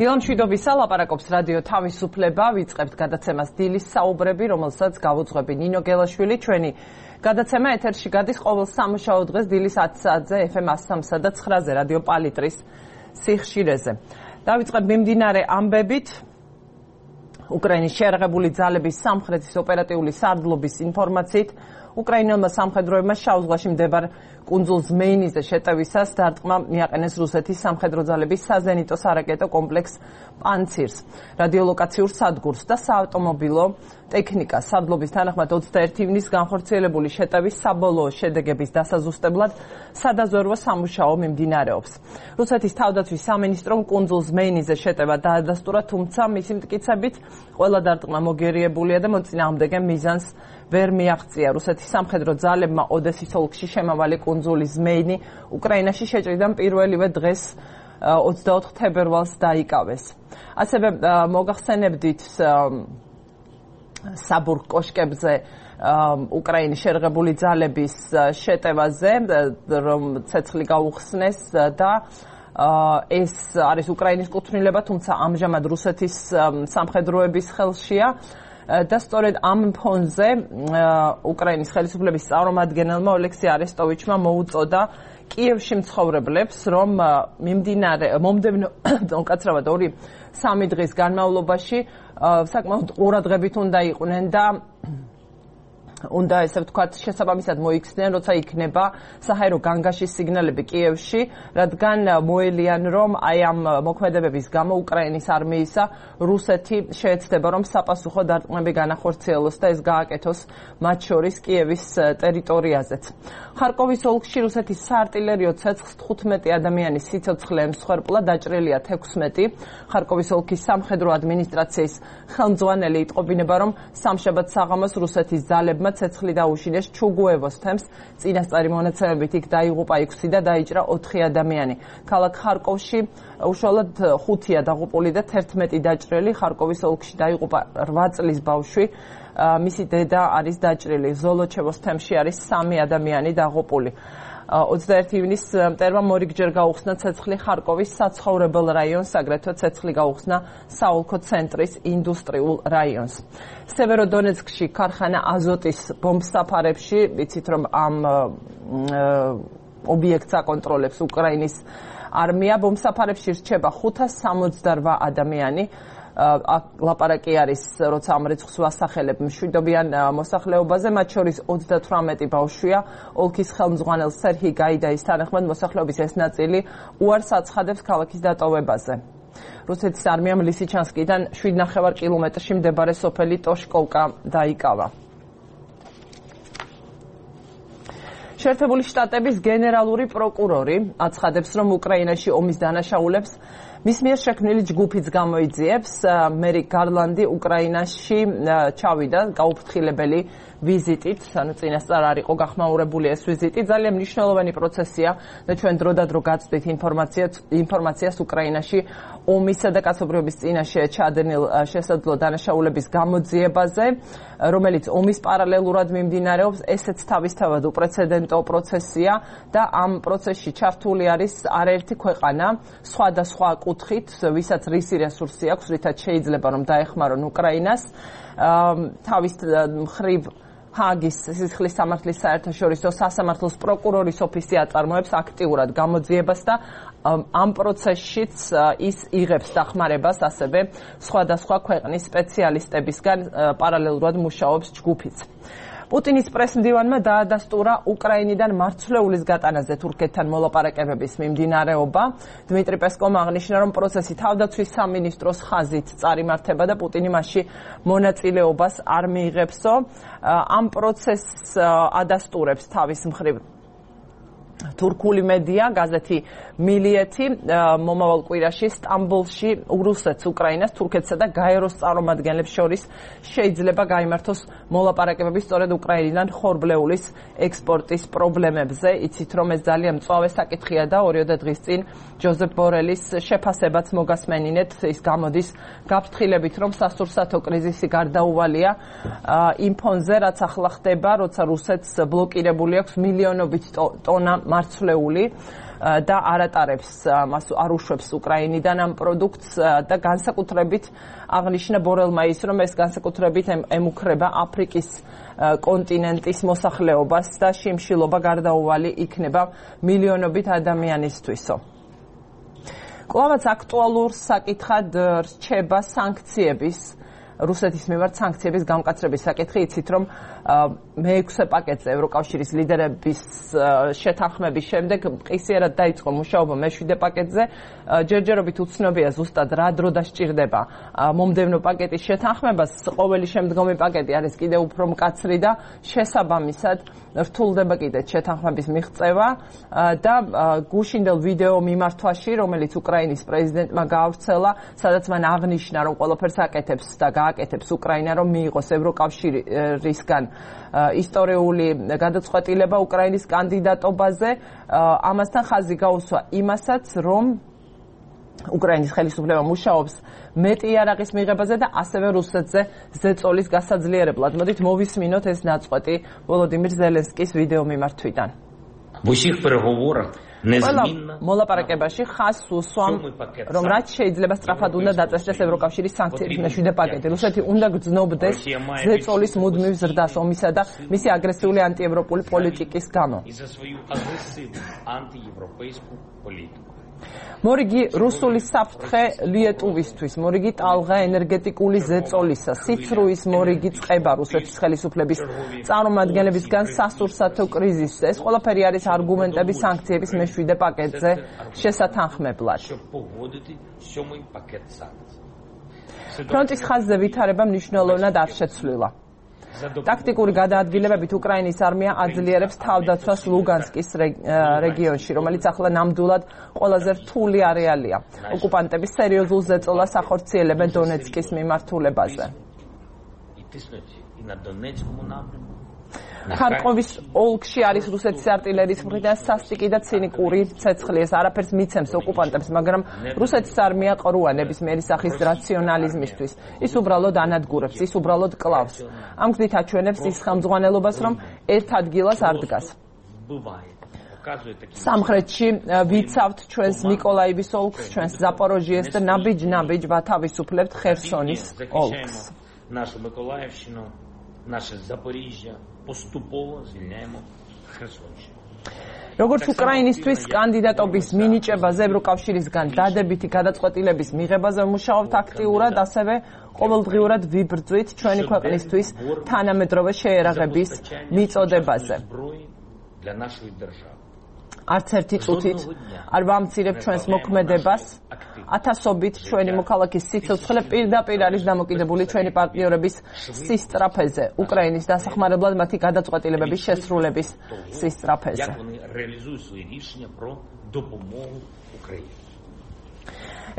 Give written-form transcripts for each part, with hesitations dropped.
დილამშვიდობისა ლაპარაკობს რადიო თავისუფლება, ვიწყებთ გადაცემას დილის საუბრები, რომელსაც გავუძღვები ნინო გელაშვილი. ჩვენი გადაცემა ეთერში გადის ყოველ სამუშაო დღეს დილის 10 საათზე FM 103 და 9-ზე რადიო პალიტრის სიხშირეზე. დავიწყებ მიმდინარე ამბებით. უკრაინის შეიარაღებული ძალების სამხრეთის ოპერატიული სარდლობის ინფორმაციით უკრაინელმა სამხედროებმა შავ ზღვაში მდებარე კუნძულ ზმეინიზე შეტევისას დარტყმა მიაყენეს რუსეთის სამხედრო ძალების საზენიტო სარაკეტო კომპლექს პანცირს, რადიოლოკაციურ სადგურს და საავტომობილო ტექნიკას. სარდლობის თანახმად 21 ივნისს განხორციელებული შეტევის საბოლოო შედეგების დასაზუსტებლად სადაზვერვო სამუშაო მიმდინარეობს. რუსეთის თავდაცვის სამინისტრომ კუნძულ ზმეინიზე შეტევა დაადასტურა, თუმცა მისი მტკიცებით ყველა დარტყმა მოგერიებულია და მოწინააღმდეგე მიზანს ვერ მიაღწია. რუსეთის სამხედრო ძალებმა ოდესის ოლქში შემავალი კუნძული ზმეინი უკრაინაში შეჭრიდან პირველივე დღეს 24 თებერვალს დაიკავეს. ასევე მოგახსენებდით საბურგ კოშკებზე უკრაინის შეიარაღებული ძალების შეტევაზე, რომ ცეცხლი გაუხსნეს და ეს არის უკრაინის კუთვნილება, თუმცა ამჟამად რუსეთის სამხედროების ხელშია. და სწორედ ამ ფონზე უკრაინის ხელისუფლების წარმომადგენელმა ოლექსი არესტოვიჩმა მოუწოდა კიევში მცხოვრებლებს, რომ მომდევნო უკაცრავად 2-3 დღის განმავლობაში საკმაოდ ყურადღებით უნდა იყვნენ და უნდა ესე ვთქვათ შესაბამისად მოიქცნენ, როცა იქნება საჰაერო განგაშის სიგნალები კიევში, რადგან მოელიან, რომ აი ამ მოქმედებების გამო უკრაინის არმიისა რუსეთი შეეცდება, რომ საპასუხო დარტყმები განახორციელოს და ეს გააკეთოს მათ შორის კიევის ტერიტორიაზეც. ხარკოვის ოლქში რუსეთის საარტილერიო ცეცხლს 15 ადამიანის სიცოცხლე ემსხვერპლა, დაჭრილია 16. ხარკოვის ოლქის სამხედრო ადმინისტრაციის ხელმძღვანელი იტყობინება, რომ სამშაბათ საღამოს რუსეთის ძალებმა ცეცხლი დაუშინეს ჩუგუევოს თემს, წინასწარი მონაცემებით იქ დაიღუპა 6 და დაიჭრა 4 ადამიანი. ქალაქ ხარკოვში უშუალოდ 5-ია დაღუპული და 11 დაჭრილი. ხარკოვის ოლქში დაიღუპა 8 წლის ბავშვი, მისი დედა არის დაჭრილი. ზოლოჩევოს თემში არის 3 ადამიანი დაღუპული. 21 ივნისს მტერმა მორიგჯერ გაუხსნა ცეცხლი ხარკოვის საცხოვრებელ რაიონს, აგრეთვე ცეცხლი გაუხსნა საოლქო ცენტრის ინდუსტრიულ რაიონს. სევეროდონეცკში ქარხანა აზოტის ბომბსაფარებში, ვიცით რომ ამ ობიექტს აკონტროლებს უკრაინის არმია, ბომბსაფარებში რჩება 568 ადამიანი. ლაპარაკი არის, როცა ამ რიცხვს ვასახელებ, მშვიდობიან მოსახლეობაზე, მათ შორის 38 ბავშვია. ოლქის ხელმძღვანელ სერჰი გაიდაის თანახმად მოსახლეობის ეს ნაწილი უარს აცხადებს ქალაქის დატოვებაზე. რუსეთის არმიამ ლისიჩანსკიდან 7,5 კილომეტრში მდებარე სოფელი ტოშკოვკა დაიკავა. შეერთებული შტატების გენერალური პროკურორი აცხადებს, რომ უკრაინაში ომის დანაშაულებს მის მიერ შექმნილი ჯგუფიც გამოიძიებს. მერი გარლანდი უკრაინაში ჩავიდა გაუფრთხილებელი ვიზიტით, ანუ წინასწარ არ იყო გახმაურებული ეს ვიზიტი. ძალიან მნიშვნელოვანი პროცესია და ჩვენ დროდადრო გაცდით ინფორმაციას უკრაინაში ომისა და კაცობრიობის წინაშე ჩადენილ შესაძლო დანაშაულების გამოძიებაზე, რომელიც ომის პარალელურად მიმდინარეობს. ესეც თავისთავად უპრეცედენტო პროცესია და ამ პროცესში ჩართული არის არაერთი ქვეყანა, სხვადასხვა კუთხით, ვისაც რისი რესურსი აქვს, რითაც შეიძლება რომ დაეხმარონ უკრაინას. თავის მხრივ ჰაგის სისხლის სამართლის საერთაშორისო სასამართლოს პროკურორის ოფისი აწარმოებს აქტიურად გამოძიებას და ამ პროცესშიც ის იღებს დახმარებას ასევე სხვადასხვა ქვეყნის სპეციალისტებისგან, პარალელურად მუშაობს ჯგუფიც. პუტინის პრესმდივანმა დაადასტურა უკრაინიდან მარცვლეულის გატანაზე თურქეთთან მოლაპარაკებების მიმდინარეობა. დმიტრი პესკოვმა აღნიშნა, რომ პროცესი თავდაცვის სამინისტროს ხაზით წარიმართება და პუტინი მასში მონაწილეობას არ მიიღებსო. ამ პროცესს ადასტურებს თავის მხრივ თურქული მედია, გაზეთი მილიეთი. მომავალ კვირაში სტამბოლში რუსეთს, უკრაინას, თურქეთსა და გაეროს წარმომადგენლებს შორის შეიძლება გაიმართოს მოლაპარაკებები სწორედ უკრაინიდან ხორბლეულის ექსპორტის პრობლემებზე. იცით რომ ეს ძალიან მწვავე საკითხია და 2 დღის წინ ჯოზეფ ბორელის შეფასებაც მოგასმენინეთ. ის გამოდის გაფრთხილებით, რომ სასურსათო კრიზისი გარდაუვალია იმ ფონზე, რაც ახლა ხდება, როცა რუსეთს ბლოკირებული აქვს მილიონობით ტონა მარცვლეული. და არ ატარებს მას არ უშვებს უკრაინიდან ამ პროდუქტს და განსაკუთრებით აღნიშნა ბორელმა ის რომ ეს განსაკუთრებით ემუქრება აფრიკის კონტინენტის მოსახლეობას და შიმშილობა გარდაუვალი იქნება მილიონობით ადამიანისთვისო. კვლავაც აქტუალურ საკითხად რჩება სანქციების რუსეთის მიმართ სანქციების გამკაცრების საკითხი. იცით რომ მე-6 პაკეტზე ევროკავშირის ლიდერების შეთანხმების შემდეგ ყისიერად დაიწყო მუშაობა მე-7 პაკეტზე. ჯერჯერობით უცნობია ზუსტად რა დრო დასჭირდება მომდევნო პაკეტის შეთანხმებას. ყოველი შემდგომი პაკეტი არის კიდევ უფრო მკაცრი და შესაბამისად რთულდება კიდეც შეთანხმების მიღწევა და გუშინდელ ვიდეო მიმართვაში, რომელიც უკრაინის პრეზიდენტმა გაავრცელა, სადაც მან აღნიშნა, რომ ყველაფერს აკეთებს და გააკეთებს უკრაინა, რომ მიიღოს ევროკავშირისგან ისტორიული გადაწყვეტილება უკრაინის კანდიდატობაზე. ამასთან ხაზი გაუსვა იმასაც, რომ უკრაინის ხელისუფლება მუშაობს მეტი იარაღის მიღებაზე და ასევე რუსეთზე ზეწოლის გასაძლიერებლად. მოდით მოვისმინოთ ეს ნაწყვეტი ვოლოდიმირ ზელენსკის ვიდეო მიმართვიდან. ყველა მოლაპარაკებაში ხაზს უსვამ, რომ რაც შეიძლება სწრაფად უნდა დაწესდეს ევროკავშირის სანქციების მე-7 პაკეტი. რუსეთი უნდა გრძნობდეს ზეწოლის მუდმივ ზრდას ომისა და მისი აგრესიული ანტიევროპული პოლიტიკის გამო. მორიგი რუსული საფრთხე ლიეტუვისთვის, მორიგი ტალღა ენერგეტიკული ზეწოლისა, სიცრუის მორიგი წყება რუსეთის ხელისუფლების წარმომადგენლებისგან სასურსათო კრიზისს. ეს ყველაფერი არის არგუმენტები სანქციების მე-7 პაკეტზე შესათანხმებლად. ფრონტის ხაზზე ვითარება მნიშვნელოვნად არ შეცვლილა. ტაქტიკური გადაადგილებებით უკრაინის არმია აძლიერებს თავდაცვას ლუგანსკის რეგიონში, რომელიც ახლა ნამდვილად ყველაზე რთული არეალია. ოკუპანტები სერიოზულ ზეწოლას ახორციელებენ დონეცკის მიმართულებაზე. ხარკოვის ოლქში არის რუსეთის არტილერიის მხრიდან სასტიკი და ცინიკური ცეცხლი. ეს არაფერს მიცემს ოკუპანტებს, მაგრამ რუსეთის არმია ყრუა ნებისმიერი სახის რაციონალიზმისთვის. ის უბრალოდ ანადგურებს, ის უბრალოდ კლავს. ამ გზით აჩვენებს ის ხელმძღვანელობას, რომ ერთ ადგილას არ დგას. სამხრეთში ვიცავთ ჩვენს ნიკოლაივის ოლქს, ჩვენს ზაპოროჟიეს და ნაბიჯ-ნაბიჯ ვათავისუფლებთ ხერსონის ოლქს. Наше Запоріжжя поступово звільняємо Херсонщину. როგორც უკრაინისთვის კანდიდატობის მინიჭებაზე ევროკავშირისგან დადებითი გადაწყვეტილების მიღებაზე მუშაობთ აქტიურად, ასევე ყოველდღიურად ვიბრძვით ჩვენი ქვეყნისთვის თანამედროვე შეერაღების მიწოდებაზე. არც ერთი წუთით არ ვამცირებ ჩვენს მოქმედებას. ათასობით ჩვენი მოქალაქის სიცოცხლე პირდაპირ არის დამოკიდებული ჩვენი პარტნიორების სისწრაფეზე, უკრაინის დასახმარებლად მათი გადაწყვეტილებების შესრულების სისწრაფეზე.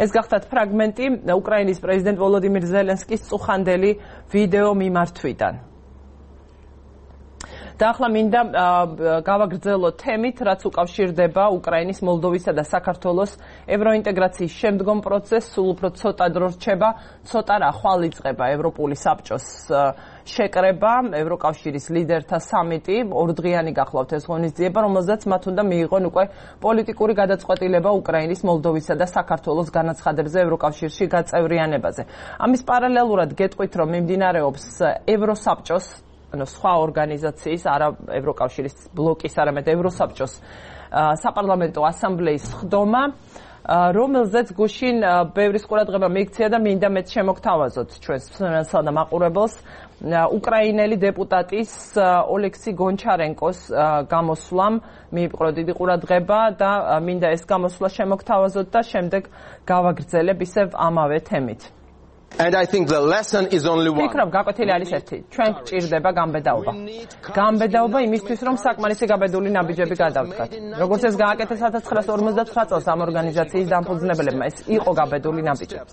ეს გახდათ ფრაგმენტი უკრაინის პრეზიდენტ ვოლოდიმირ ზელენსკის წუხანდელი ვიდეო მიმართვიდან. და ახლა მინდა გავაგრძელოთ თემით, რაც უკავშირდება უკრაინის, მოლდოვისა და საქართველოს ევროინტეგრაციის შემდგომ პროცესს. სულ უფრო ცოტა დრო რჩება, ცოტა რა ხვალ იწყება ევროპული საბჭოს შეკრება, ევროკავშირის ლიდერთა სამიტი, ორდღიანი გახლავთ ეს ღონისძიება, რომელზეც მათ უნდა მიიღონ უკვე პოლიტიკური გადაწყვეტილება უკრაინის, მოლდოვისა და საქართველოს განაცხადებზე ევროკავშირში გაწევრიანებაზე. ამის პარალელურად გეტყვით, რომ მიმდინარეობს ევროსაბჭოს სხვა ორგანიზაციის, არა ევროკავშირის ბლოკის, არამედ ევროსაბჭოს საპარლამენტო ასამბლეის ხდომა, რომელზეც გუშინ ბევრის ყურადღება მიიქცია და მინდა მეც შემოგთავაზოთ ჩვენს მსმენელსა და მაყურებელს უკრაინელი დეპუტატის ოლექსი გონჩარენკოს გამოსვლამ მიიპყრო დიდი ყურადღება და მინდა ეს გამოსვლა შემოგთავაზოთ და შემდეგ გავაგრძელებ ისევ ამავე თემით. And I think the lesson is only one. ვფიქრობ, გაკვეთილი არის ერთი. ჩვენ გჭირდება გამბედაობა. გამბედაობა იმისთვის, რომ საკმარისი გაბედული ნაბიჯები გადავდგათ. როგორც ეს გააკეთეს 1959 წელს ამ ორგანიზაციის დამფუძნებელებმა, ეს იყო გაბედული ნაბიჯები.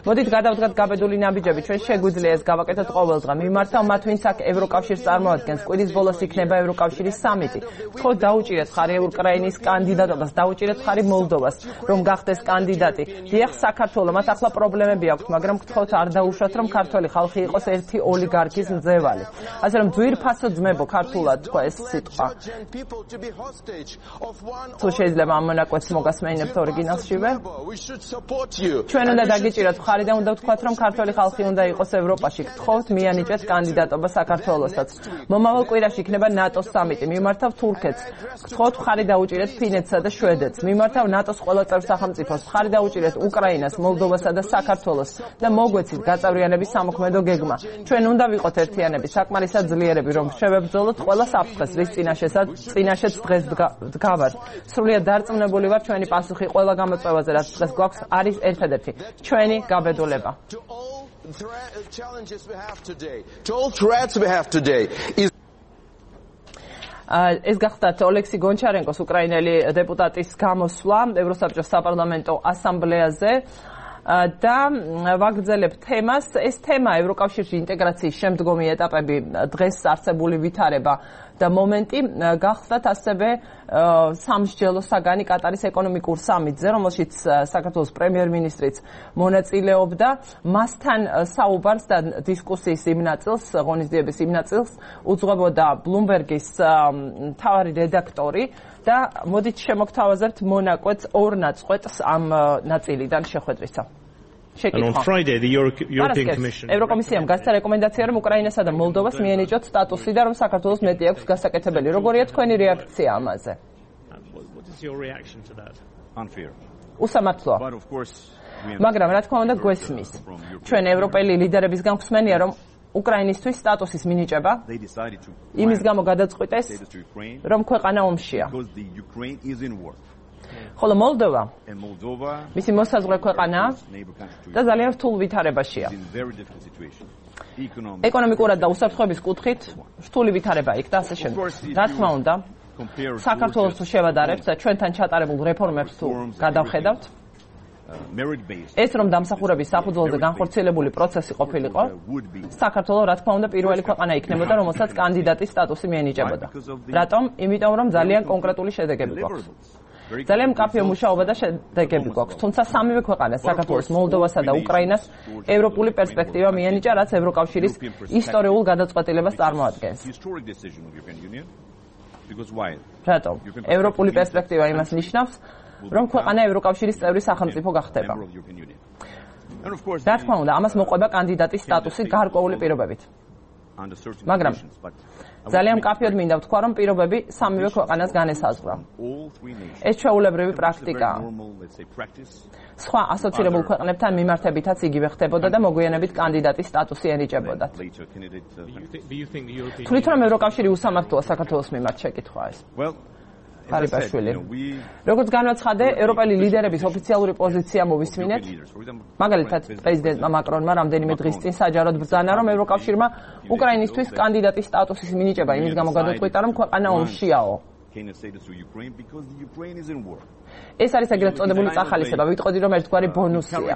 მოდით გადავდგათ გაბედული ნაბიჯები, ჩვენ შეგვიძლია ეს გავაკეთოთ ყოველდღე. მიმართავ მათ, ვინც აქ ევროკავშირს წარმოადგენს, კვირის ბოლოს იქნება ევროკავშირის სამიტი. ვთქვათ, დაუჭირეთ ხარი უკრაინის კანდიდატობას, დაუჭირეთ ხარი მოლდოვას, რომ გახდეს კანდიდატი. დიახ, საქართველოს მათ ახლა პრობლემები აქვს, მაგრამ ვთქვათ საერთოდ არ დაუშვათ, რომ ქართველი ხალხი იყოს ერთი ოლიგარქის მძევალი. ასე რომ ძვირფასო ძმებო ქართულად თქვა ეს სიტყვა. თუ შეიძლება ამ მონაკვეთს მოგასმენინებთ ორიგინალშივე. ჩვენ უნდა დაგიჭიროთ მხარი და უნდა ვთქვათ, რომ ქართველი ხალხი უნდა იყოს ევროპაში. გთხოვთ მიანიჭეთ კანდიდატობა საქართველოსაც. მომავალ კვირაში იქნება ნატოს სამიტი. მიმართავ თურქეთს. გთხოვთ მხარი დაუჭირეთ ფინეთსა და შვედეთს. მიმართავ ნატოს ყველა წევრ სახელმწიფოს. მხარი დაუჭირეთ უკრაინას, მოლდოვასა და საქართველოს და მოგვეცით გაწევრიანების სამოქმედო გეგმა. ჩვენ უნდა ვიყოთ ერთიანები, საკმარისად ძლიერები, რომ შევებრძოლოთ ყველა საფრთხეს, რის წინაშეც დღეს დგავართ. სრულიად დარწმუნებული ვარ, ჩვენი პასუხი ყველა გამოწვევაზე, რაც დღეს გვაქვს, არის ერთადერთი, ჩვენი გაბედულება. ეს გახდათ ოლექსი გონჩარენკოს უკრაინელი დეპუტატის გამოსვლა ევროსაბჭოს საპარლამენტო ასამბლეაზე და ვაგრძელებ თემას. ეს თემა ევროკავშირში ინტეგრაციის შემდგომი ეტაპები, დღეს არსებული ვითარება და მომენტი გახდათ ასევე სამსჯელო საგანი კატარის ეკონომიკურ სამიტზე, რომელშიც საქართველოს პრემიერ-მინისტრიც მონაწილეობდა. მასთან საუბარს და დისკუსიის იმ ნაწილს, ღონისძიების იმ ნაწილს უძღვებოდა Bloomberg-ის მთავარი რედაქტორი და მოდით შემოგთავაზებთ მონაკვეთს ორ ნაწყვეტს ამ ნაწილიდან შეხვედრისა. And on Friday, the European Commission... ევროკომისიამ გასცა რეკომენდაცია, რომ უკრაინასა და მოლდოვას მიენიჭოთ სტატუსი და რომ საქართველოს მეტი აქვს გასაკეთებელი. როგორია თქვენი რეაქცია ამაზე? What is your reaction to that? Unfair. უსამართლოა. მაგრამ რა თქმა უნდა გვესმის. ჩვენ ევროპელი ლიდერებისგან გვსმენია, რომ უკრაინისთვის სტატუსის მინიჭება იმის გამო გადაწყვიტეს, რომ ქვეყანა ომშია. ხოლო მოლდოვა მისი მოსაზღვრე ქვეყანაა და ძალიან რთულ ვითარებაშია. ეკონომიკურად და უსაფრთხოების კუთხით რთული ვითარება იქ და ასე შემდეგ. რა თქმა უნდა, საქართველოს თუ შევადარებთ და ჩვენთან ჩატარებულ რეფორმებს თუ გადავხედავთ, ეს რომ დამსახურების საფუძველზე განხორციელებული პროცესი ყოფილიყო, საქართველო რა თქმა უნდა პირველი ქვეყანა იქნებოდა, რომელსაც კანდიდატის სტატუსი მიენიჭებოდა. რატომ? იმიტომ რომ ძალიან კონკრეტული შედეგები გვაქვს. ძალიან მკაფიო მუშაობა და შედეგები გვაქვს. თუმცა სამივე ქვეყანას, საქართველოს, მოლდოვასა და უკრაინას ევროპული პერსპექტივა მიენიჭა, რაც ევროკავშირის ისტორიულ გადაწყვეტილებას წარმოადგენს. რატომ? ევროპული პერსპექტივა იმას ნიშნავს, რომ ქვეყანა ევროკავშირის წევრი სახელმწიფო გახდება. რა თქმა უნდა, ამას მოყვება კანდიდატის სტატუსი გარკვეული პირობებით. მაგრამ ძალიან მკაფიოდ მინდა ვთქვა, რომ პირობები სამივე ქვეყანას განესაზღვრა. ეს ჩვეულებრივი პრაქტიკაა. სხვა ასოცირებულ ქვეყნებთან მიმართებითაც იგივე ხდებოდა და მოგვიანებით კანდიდატის სტატუსი ენიჭებოდათ. თვლით რომ ევროკავშირი უსამართლოა საქართველოს მიმართ, შეკითხვა ეს. ფარიბაშვილი. როგორც განაცხადე, ევროპელი ლიდერების ოფიციალური პოზიცია მოვისმინეთ. მაგალითად, პრეზიდენტმა მაკრონმა რამდენიმე დღის წინ საჯაროდ ბრძანა, რომ ევროკავშირმა უკრაინისთვის კანდიდატის სტატუსის მინიჭება იმის გამო გადაწყვიტა, რომ ქვეყანა ომშიაო. ეს არის ეგრეთ წოდებული წახალისება, ვიტყოდი, რომ ერთგვარი ბონუსია.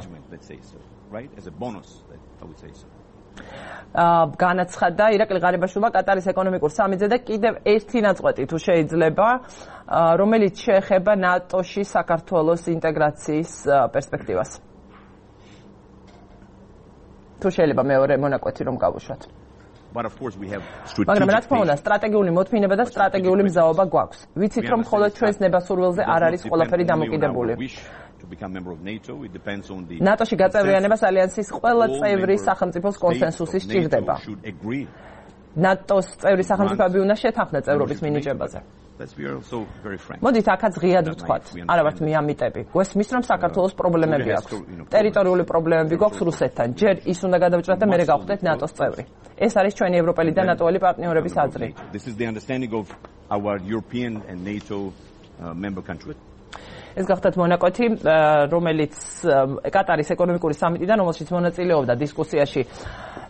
განაცხადა ირაკლი ღარიბაშვილმა კატარის ეკონომიკურ სამიტზე და კიდევ ერთი ნაწყვეტი თუ შეიძლება, რომელიც შეეხება ნატოში საქართველოს ინტეგრაციის პერსპექტივას. თუ შეიძლება მეორე მონაკვეთი რომ გავუშვათ. მაგრამ რა თქმა უნდა, სტრატეგიული მოთმინება და სტრატეგიული მზაობა გვაქვს. ვიცით, რომ მხოლოდ ჩვენს ნებასურველზე არ არის ყველაფერი დამოკიდებული. ნატოში გაწევრიანებას ალიანსის ყველა წევრი სახელმწიფოს კონსენსუსი სჭირდება. ნატოს წევრი სახელმწიფოები უნდა შეთანხმდეთ წევრობის მინიჭებაზე. მოდით აქაც ღიად ვთქვათ, არა ვართ მიამიტები. გვესმის, რომ საქართველოს პრობლემები აქვს. ტერიტორიული პრობლემები გვაქვს რუსეთთან. ჯერ ის უნდა გადავჭრათ და მერე გავხდეთ ნატოს წევრი. ეს არის ჩვენი ევროპელი და ნატოელი პარტნიორების აზრი. ეს გახდათ მონაკვეთი, რომელიც კატარის ეკონომიკური სამიტიდან, რომელშიც მონაწილეობდა დისკუსიაში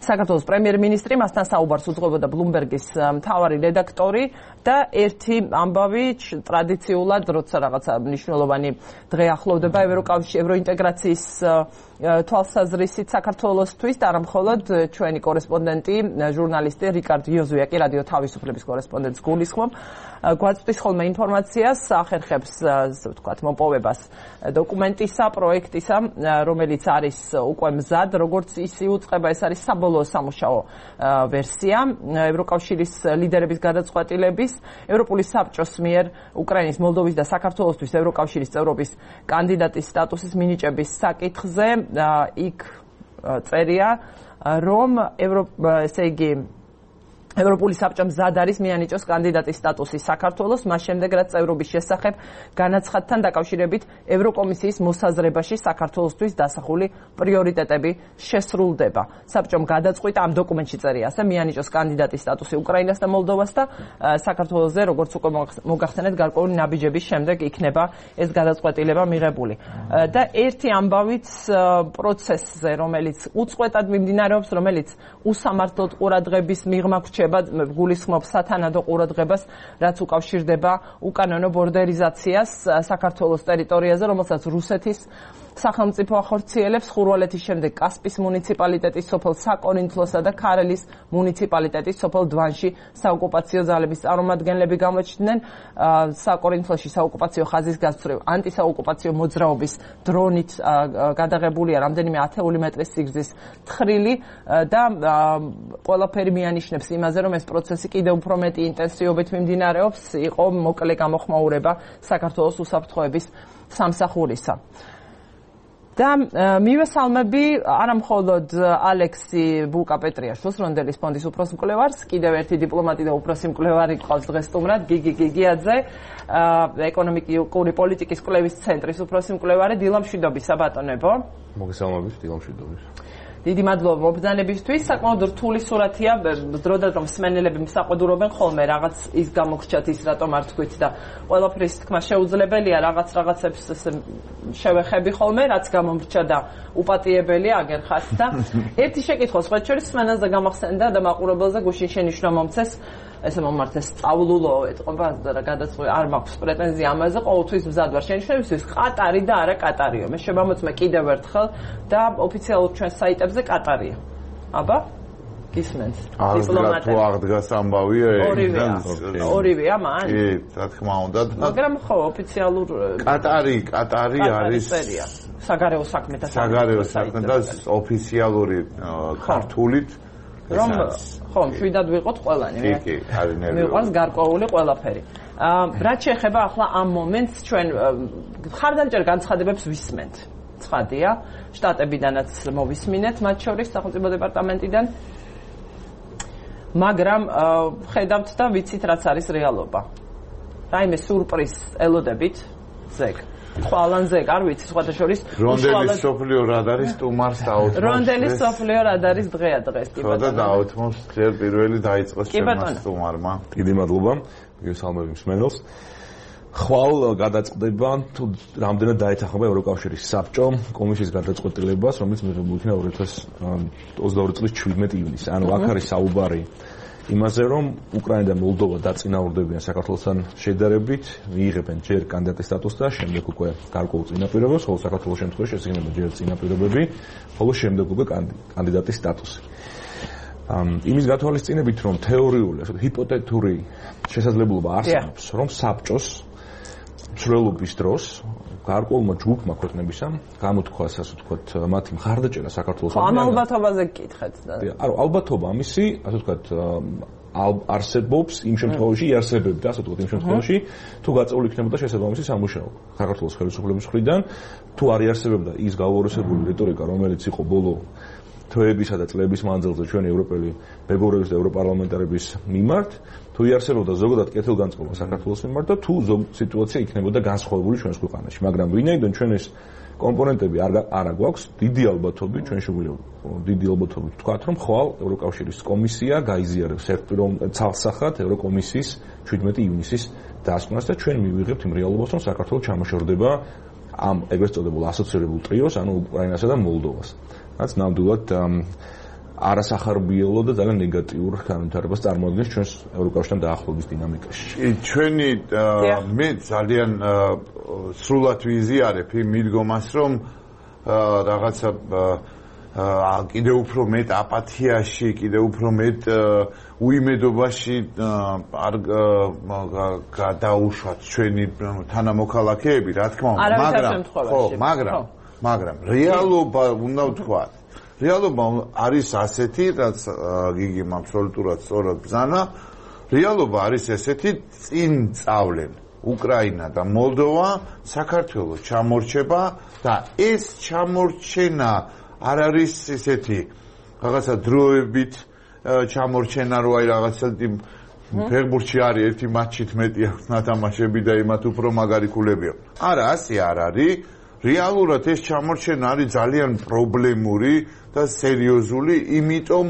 საქართველოს პრემიერ-მინისტრი, მასთან საუბარს უძღვებოდა Bloomberg-ის მთავარი რედაქტორი და ერთი ამბავი ტრადიციულად, როცა რაღაცა მნიშვნელოვანი დღე ახლოვდება ევროინტეგრაციის თვალსაზრისით საქართველოსთვის და არა მხოლოდ ჩვენი კორესპონდენტი, ჟურნალისტი რიკარდ იოზუია კი რადიო თავისუფლების კორესპონდენტს გულისხმობ. გვაწვდის ხოლმე ინფორმაციას, ახერხებს ვთქვათ მოპოვებას დოკუმენტისა, პროექტისა, რომელიც არის უკვე მზად, როგორც ის იუწყება, ეს არის საბოლოო სამუშაო ვერსია ევროკავშირის ლიდერების გადაწყვეტილების, ევროპული საბჭოს მიერ უკრაინის, მოლდოვის და საქართველოსთვის ევროკავშირის წევრობის კანდიდატის სტატუსის მინიჭების საკითხზე. იქ წერია, რომ ესე იგი ევროპული საბჭო მზად არის მიანიჭოს კანდიდატის სტატუსი საქართველოს, მას შემდეგ რაც წევრობის შესახებ განაცხადთან დაკავშირებით ევროკომისიის მოსაზრებაში საქართველოსთვის დასახული პრიორიტეტები შესრულდება. საბჭომ გადაწყვიტა ამ დოკუმენტში წერია ასე მიანიჭოს კანდიდატის სტატუსი უკრაინას და მოლდოვას და საქართველოსზე როგორც უკვე მოგახსენეთ გარკვეული ნაბიჯების შემდეგ იქნება ეს გადაწყვეტილება მიღებული. და ერთი ამბავით პროცესზე, რომელიც უწყვეტად მიმდინარეობს, რომელიც უსამართლოდ ყურადღების მიღმა გულისხმობს სათანადო ყურადღებას, რაც უკავშირდება უკანონო ბორდერიზაციას საქართველოს ტერიტორიაზე, რომელსაც რუსეთის სახელმწიფო ახორციელებს, ხურვალეთის შემდეგ კასპის მუნიციპალიტეტის სოფელ საკორინთლოსა და ქარელის მუნიციპალიტეტის სოფელ დვანში საოკუპაციო ძალების წარმომადგენლები გამოჩნდნენ. საკორინთლოში საოკუპაციო ხაზის გასწვრივ ანტისაოკუპაციო მოძრაობის დრონით გადაღებულია რამდენიმე ათეული მეტრის სიგრძის თხრილი და ყველაფერი მიანიშნებს იმაზე, რომ ეს პროცესი კიდევ უფრო მეტი ინტენსივობით მიმდინარეობს, იყო მოკლე გამოხმაურება საქართველოს უსაფრთხოების სამსახურისა. და მივესალმები არა მხოლოდ ალექსი ბუკა-პეტრიაშვილს, რონდელის ფონდის უფროსმკვლევარს, კიდევ ერთი დიპლომატი და უფროსმკვლევარი ყავს დღეს სტუმრად, გიგი გიგიაძე, ეკონომიკური პოლიტიკის კვლევის ცენტრის უფროსმკვლევარი, დილამშვიდობის საბატონებო. მოგესალმებით, დილამშვიდობის. დიდი მადლობა მობრძანებისთვის. საკმაოდ რთული სურათია, დროდადრო მსმენელები მსაყვედურობენ ხოლმე რაღაც ის გამოგრჩათ ის რატომ არ თქვით და ყველაფრის თქმა შეუძლებელია, რაღაცებს შევეხები ხოლმე, რაც გამომრჩა და უპატიებელია აგერხათ და ერთი შეკითხვა სხვათა შორის სმენელზე გამახსენდა და მაყურებელზე გუშინ შენიშვნა მომცეს, ესე მომართეს სწავლულო ეთყობა და გადაწყვეტ არ მაქვს პრეტენზია ამაზე, ყოველთვის მზად ვარ შენიშვნებისთვის, ყატარი და არა კატარიო. მე შემამოწმე კიდევ ერთხელ და ოფიციალურ ჩვენ საიტებზე კატარია. აბა? გისმენთ? დიპლომატები. აღდგას ამბავია ორივეა მან? კი, რა თქმა უნდა. მაგრამ ხო, ოფიციალურ კატარი არის საგარეო საქმეთა და ოფიციალური ქართულით რომ ხო, მშვიდად ვიყოთ ყველანი. კი, არის ნერვიული. მიყვარს გარკვეული ყველაფერი. რაც შეეხება ახლა ამ მომენტს ჩვენ ხარდამჭერ განცხადებებს ვისმენთ. ცხადია, შტატებიდანაც მოვისმინეთ, მათ შორის სახელმწიფო დეპარტამენტიდან. მაგრამ ხედავთ და ვიცით რაც არის რეალობა. რაიმე სურპრიზ ელოდებით ზეგ. ხვალანზე არ ვიცი სხვათა შორის რონდელის სოფლიო რადარის სტუმარს დაუთმოს. რონდელის სოფლიო რადარის დღეა დღეს ტიპად. და დაუთმოს ჯერ პირველი დაიწყოს ჩემმა სტუმარმა. დიდი მადლობა. მივესალმები მსმენელს. ხვალ გადაწყდება თუ რამდენად დაეთანხმება ევროკავშირის საბჭო კომისიის გადაწყვეტილებას, რომელიც მიღებული იქნა 2022 წლის 17 ივნისს. ანუ აქ არის საუბარი იმაზე, რომ უკრაინა და მოლდოვა დაწინაურდებიან საქართველოსთან შედარებით, მიიღებენ ჯერ კანდიდატის სტატუსს და შემდეგ უკვე გარკვეულ წინაპირობებს, ხოლო საქართველოს შემთხვევაში ესიგნება ჯერ წინაპირობები, ხოლო შემდეგ უკვე კანდიდატის სტატუსი. იმის გათვალისწინებით, რომ თეორიული, ასე ჰიპოთეტური შესაძლებლობა არსებობს, რომ საბჭოს მცვლელობის დროს გარკვეულმა ჯგუფმა ქვეყნებისა გამოთქვას, ასე ვთქვათ, მათი მხარდაჭერა საქართველოს ამ ალბათობაზე გკითხეთ და არა, ალბათობა ამისი, ასე ვთქვათ, არსებობს იმ შემთხვევაში, იარსებებდა, ასე ვთქვათ, იმ შემთხვევაში, თუ გაწეული იქნებოდა შესაბამისი სამუშაო საქართველოს ხელისუფლების მხრიდან, თუ არ იარსებებდა ის გაუორესებული რიტორიკა, რომელიც იყო ბოლო თვეებისა და წლების მანძილზე ჩვენი ევროპელი მეგობრების და ევროპარლამენტარების მიმართ, თუ იარსებობდა ზოგადად კეთილგანწყობა საქართველოს მიმართ და თუ სიტუაცია იქნებოდა განსხვავებული ჩვენს ქვეყანაში, მაგრამ ვინაიდან ჩვენ ეს კომპონენტები არ გვაქვს, დიდი ალბათობით ჩვენ შეგვიძლია დიდი ალბათობით ვთქვათ, რომ ხვალ ევროკავშირის კომისია გაიზიარებს ცალსახად ევროკომისიის 17 ივნისის დასკვნას და ჩვენ მივიღებთ იმ რეალობას, რომ საქართველოს ჩამოშორდება ამ ეგრეთ წოდებულ ასოცირებულ ტრიოს, ანუ უკრაინასა და მოლდოვას. რაც ნამდვილად არასახარბიელო და ძალიან ნეგატიურ განვითარებას წარმოადგენს ჩვენს ევროკავშირთან დაახლოების დინამიკაში. ჩვენი მე ძალიან სრულად ვიზიარებ იმ მიდგომას, რომ რაღაცა კიდევ უფრო მეტ აპათიაში, კიდევ უფრო მეტ უიმედობაში არ გადაუშვათ ჩვენი თანამოქალაქეები, რა თქმა უნდა, მაგრამ რეალობა უნდა ვთქვათ. რეალობა არის ასეთი, რაც გიგიმ აბსოლუტურად სწორად ბრძანა. რეალობა არის ესეთი, წინ წავლენ უკრაინა და მოლდოვა საქართველოს ჩამორჩება და ეს ჩამორჩენა არ არის ესეთი რაღაცა დროებით ჩამორჩენა რო აი რაღაცა ფეხბურთში არის ერთი მატჩით მეტი აქვს ნათამაშები და იმათ უფრო მაგარი ქულები აქვს. არა, ასე არ არის. რეალურად ეს ჩამორჩენა არის ძალიან პრობლემური და სერიოზული, იმიტომ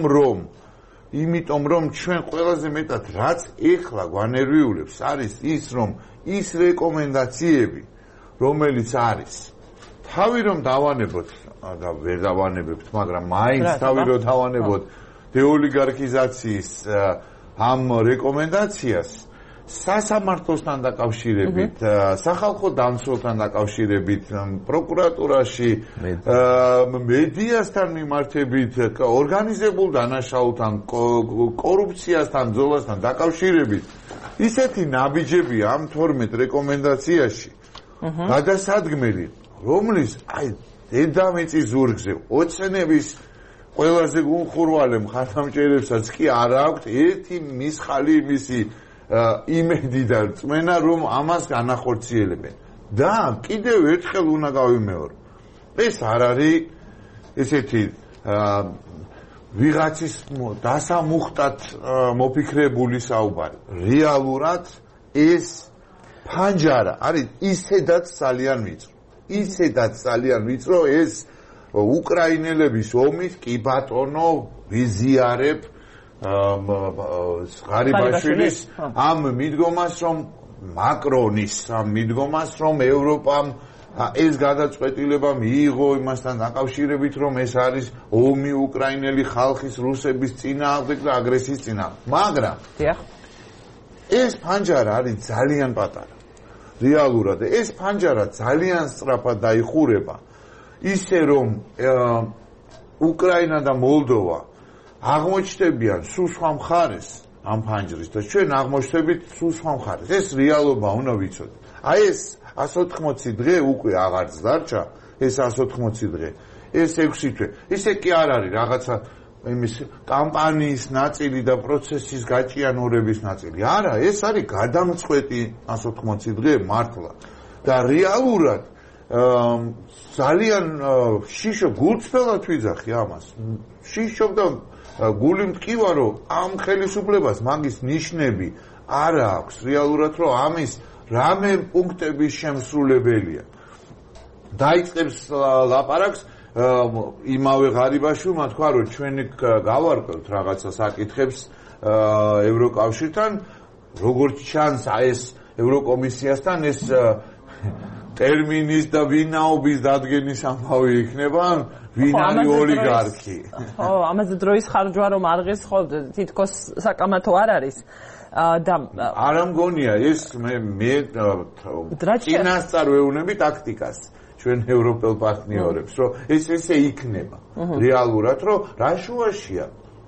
რომ ჩვენ ყველაზე მეტად რაც ეხლა გვანერვიულებს არის ის, რომ ის რეკომენდაციები, რომელიც არის, თავი რომ დავანებოთ და ვერ დავანებებთ, მაგრამ მაინც თავი რომ დავანებოთ დეოლიგარქიზაციის ამ რეკომენდაციას სასამართლოსთან დაკავშირებით, სახალხო დამცველთან დაკავშირებით, პროკურატურაში, მედიასთან მიმართებით, ორგანიზებულ დანაშაულთან, კორუფციასთან, ბრძოლასთან დაკავშირებით, ისეთი ნაბიჯები ამ 12 რეკომენდაციაში გადასადგმელი, რომლის აი დედამიწის ზურგზე ოცნების ყველაზე გულხურვალე მხარდამჭერებსაც კი არ აქვთ ერთი მისხალი მისი იმედი და წმენა, რომ ამას განახორციელებენ. და კიდევ ერთხელ უნდა გავიმეორო. ეს არ არის ესეთი ვიღაცის დასამუხტად მოფიქრებული საუბარი. რეალურად ეს ფანჯარა არის ისედაც ძალიან ვიწრო. ისედაც ძალიან ვიწრო ეს უკრაინელების ომის კი ბატონო ვიზიარებ ღარიბაშვილის ამ მიდგომას, რომ მაკრონის ამ მიდგომას, რომ ევროპამ ეს გადაწყვეტილება მიიღო იმასთან დაკავშირებით, რომ ეს არის ომი უკრაინელი ხალხის რუსების წინააღმდეგ და აგრესიის წინააღმდეგ. მაგრამ ეს ფანჯარა არის ძალიან პატარა. რეალურად ეს ფანჯარა ძალიან სწრაფად დაიხურება, ისე რომ უკრაინა და მოლდოვა აღმოჩნდებიან სულ სხვა მხარეს ამ ფანჯრის და ჩვენ აღმოჩნდებით სულ სხვა მხარეს. ეს რეალობა უნდა ვიცოდეთ. აი ეს 180 დღე უკვე აღარც დარჩა, ეს 180 დღე, ეს 6 თვე. ისე კი არ არის რაღაცა იმის კამპანიის ნაწილი და პროცესის გაჭიანურების ნაწილი. არა, ეს არის გადამწყვეტი 180 დღე მართლა. და რეალურად ძალიან შიშო გულწრფელად ვიძახი ამას. შიშობ და გული მტკივა, რომ ამ ხელისუფლებას მაგის ნიშნები არ აქვს რეალურად, რომ ამის რამე პუნქტების შემსრულებელია. დაიწყებს ლაპარაკს იმავე ღარიბაშვილმა თქვა, რომ ჩვენ გავარკვევთ რაღაცა საკითხებს ევროკავშირთან, როგორც ჩანს ეს ევროკომისიასთან ეს ტერმინის და ვინაობის დადგენის ამბავი იქნება, ვინ არის ოლიგარქი. ხო, ამაზე დროის ხარჯვა რომ არღეს, ხო, თითქოს საკამათო არ არის. და არ მგონია ეს მე წინასწარ ვეუბნები ტაქტიკას ჩვენ ევროპელ პარტნიორებს, რომ ეს ესე იქნება რეალურად, რომ რა შუაშია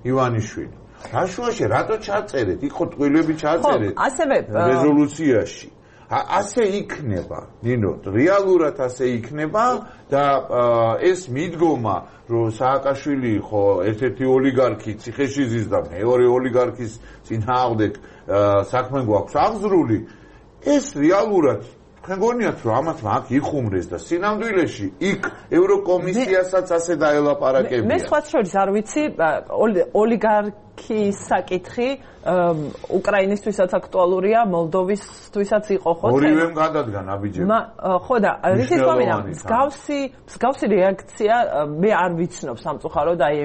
ივანიშვილი. რა შუაშია, რატო ჩაწერეთ? იქ ტყუილები ჩაწერეთ რეზოლუციაში. ასე იქნება, ნინო, რეალურად ასე იქნება და ეს მიდგომა, რომ სააკაშვილი ხო ერთ-ერთი ოლიგარქი ციხეში ზის და მეორე ოლიგარქის წინააღმდეგ საქმე გვაქვს აღზრული, ეს რეალურად თქვენ გონიათ, რომ ამათ აქ იხუმრეს და სინამდვილეში იქ ევროკომისიასაც ასე დაელაპარაკებია. მე სხვაც შორის არ ვიცი, ოლიგარქის საკითხი უკრაინისთვისაც აქტუალურია, მოლდოვისთვისაც იყო ხო? ორივემ გადადგა ნაბიჯები. ხო და რითიც მომინა, მსგავსი რეაქცია მე არ ვიცნობ სამწუხაროდ აი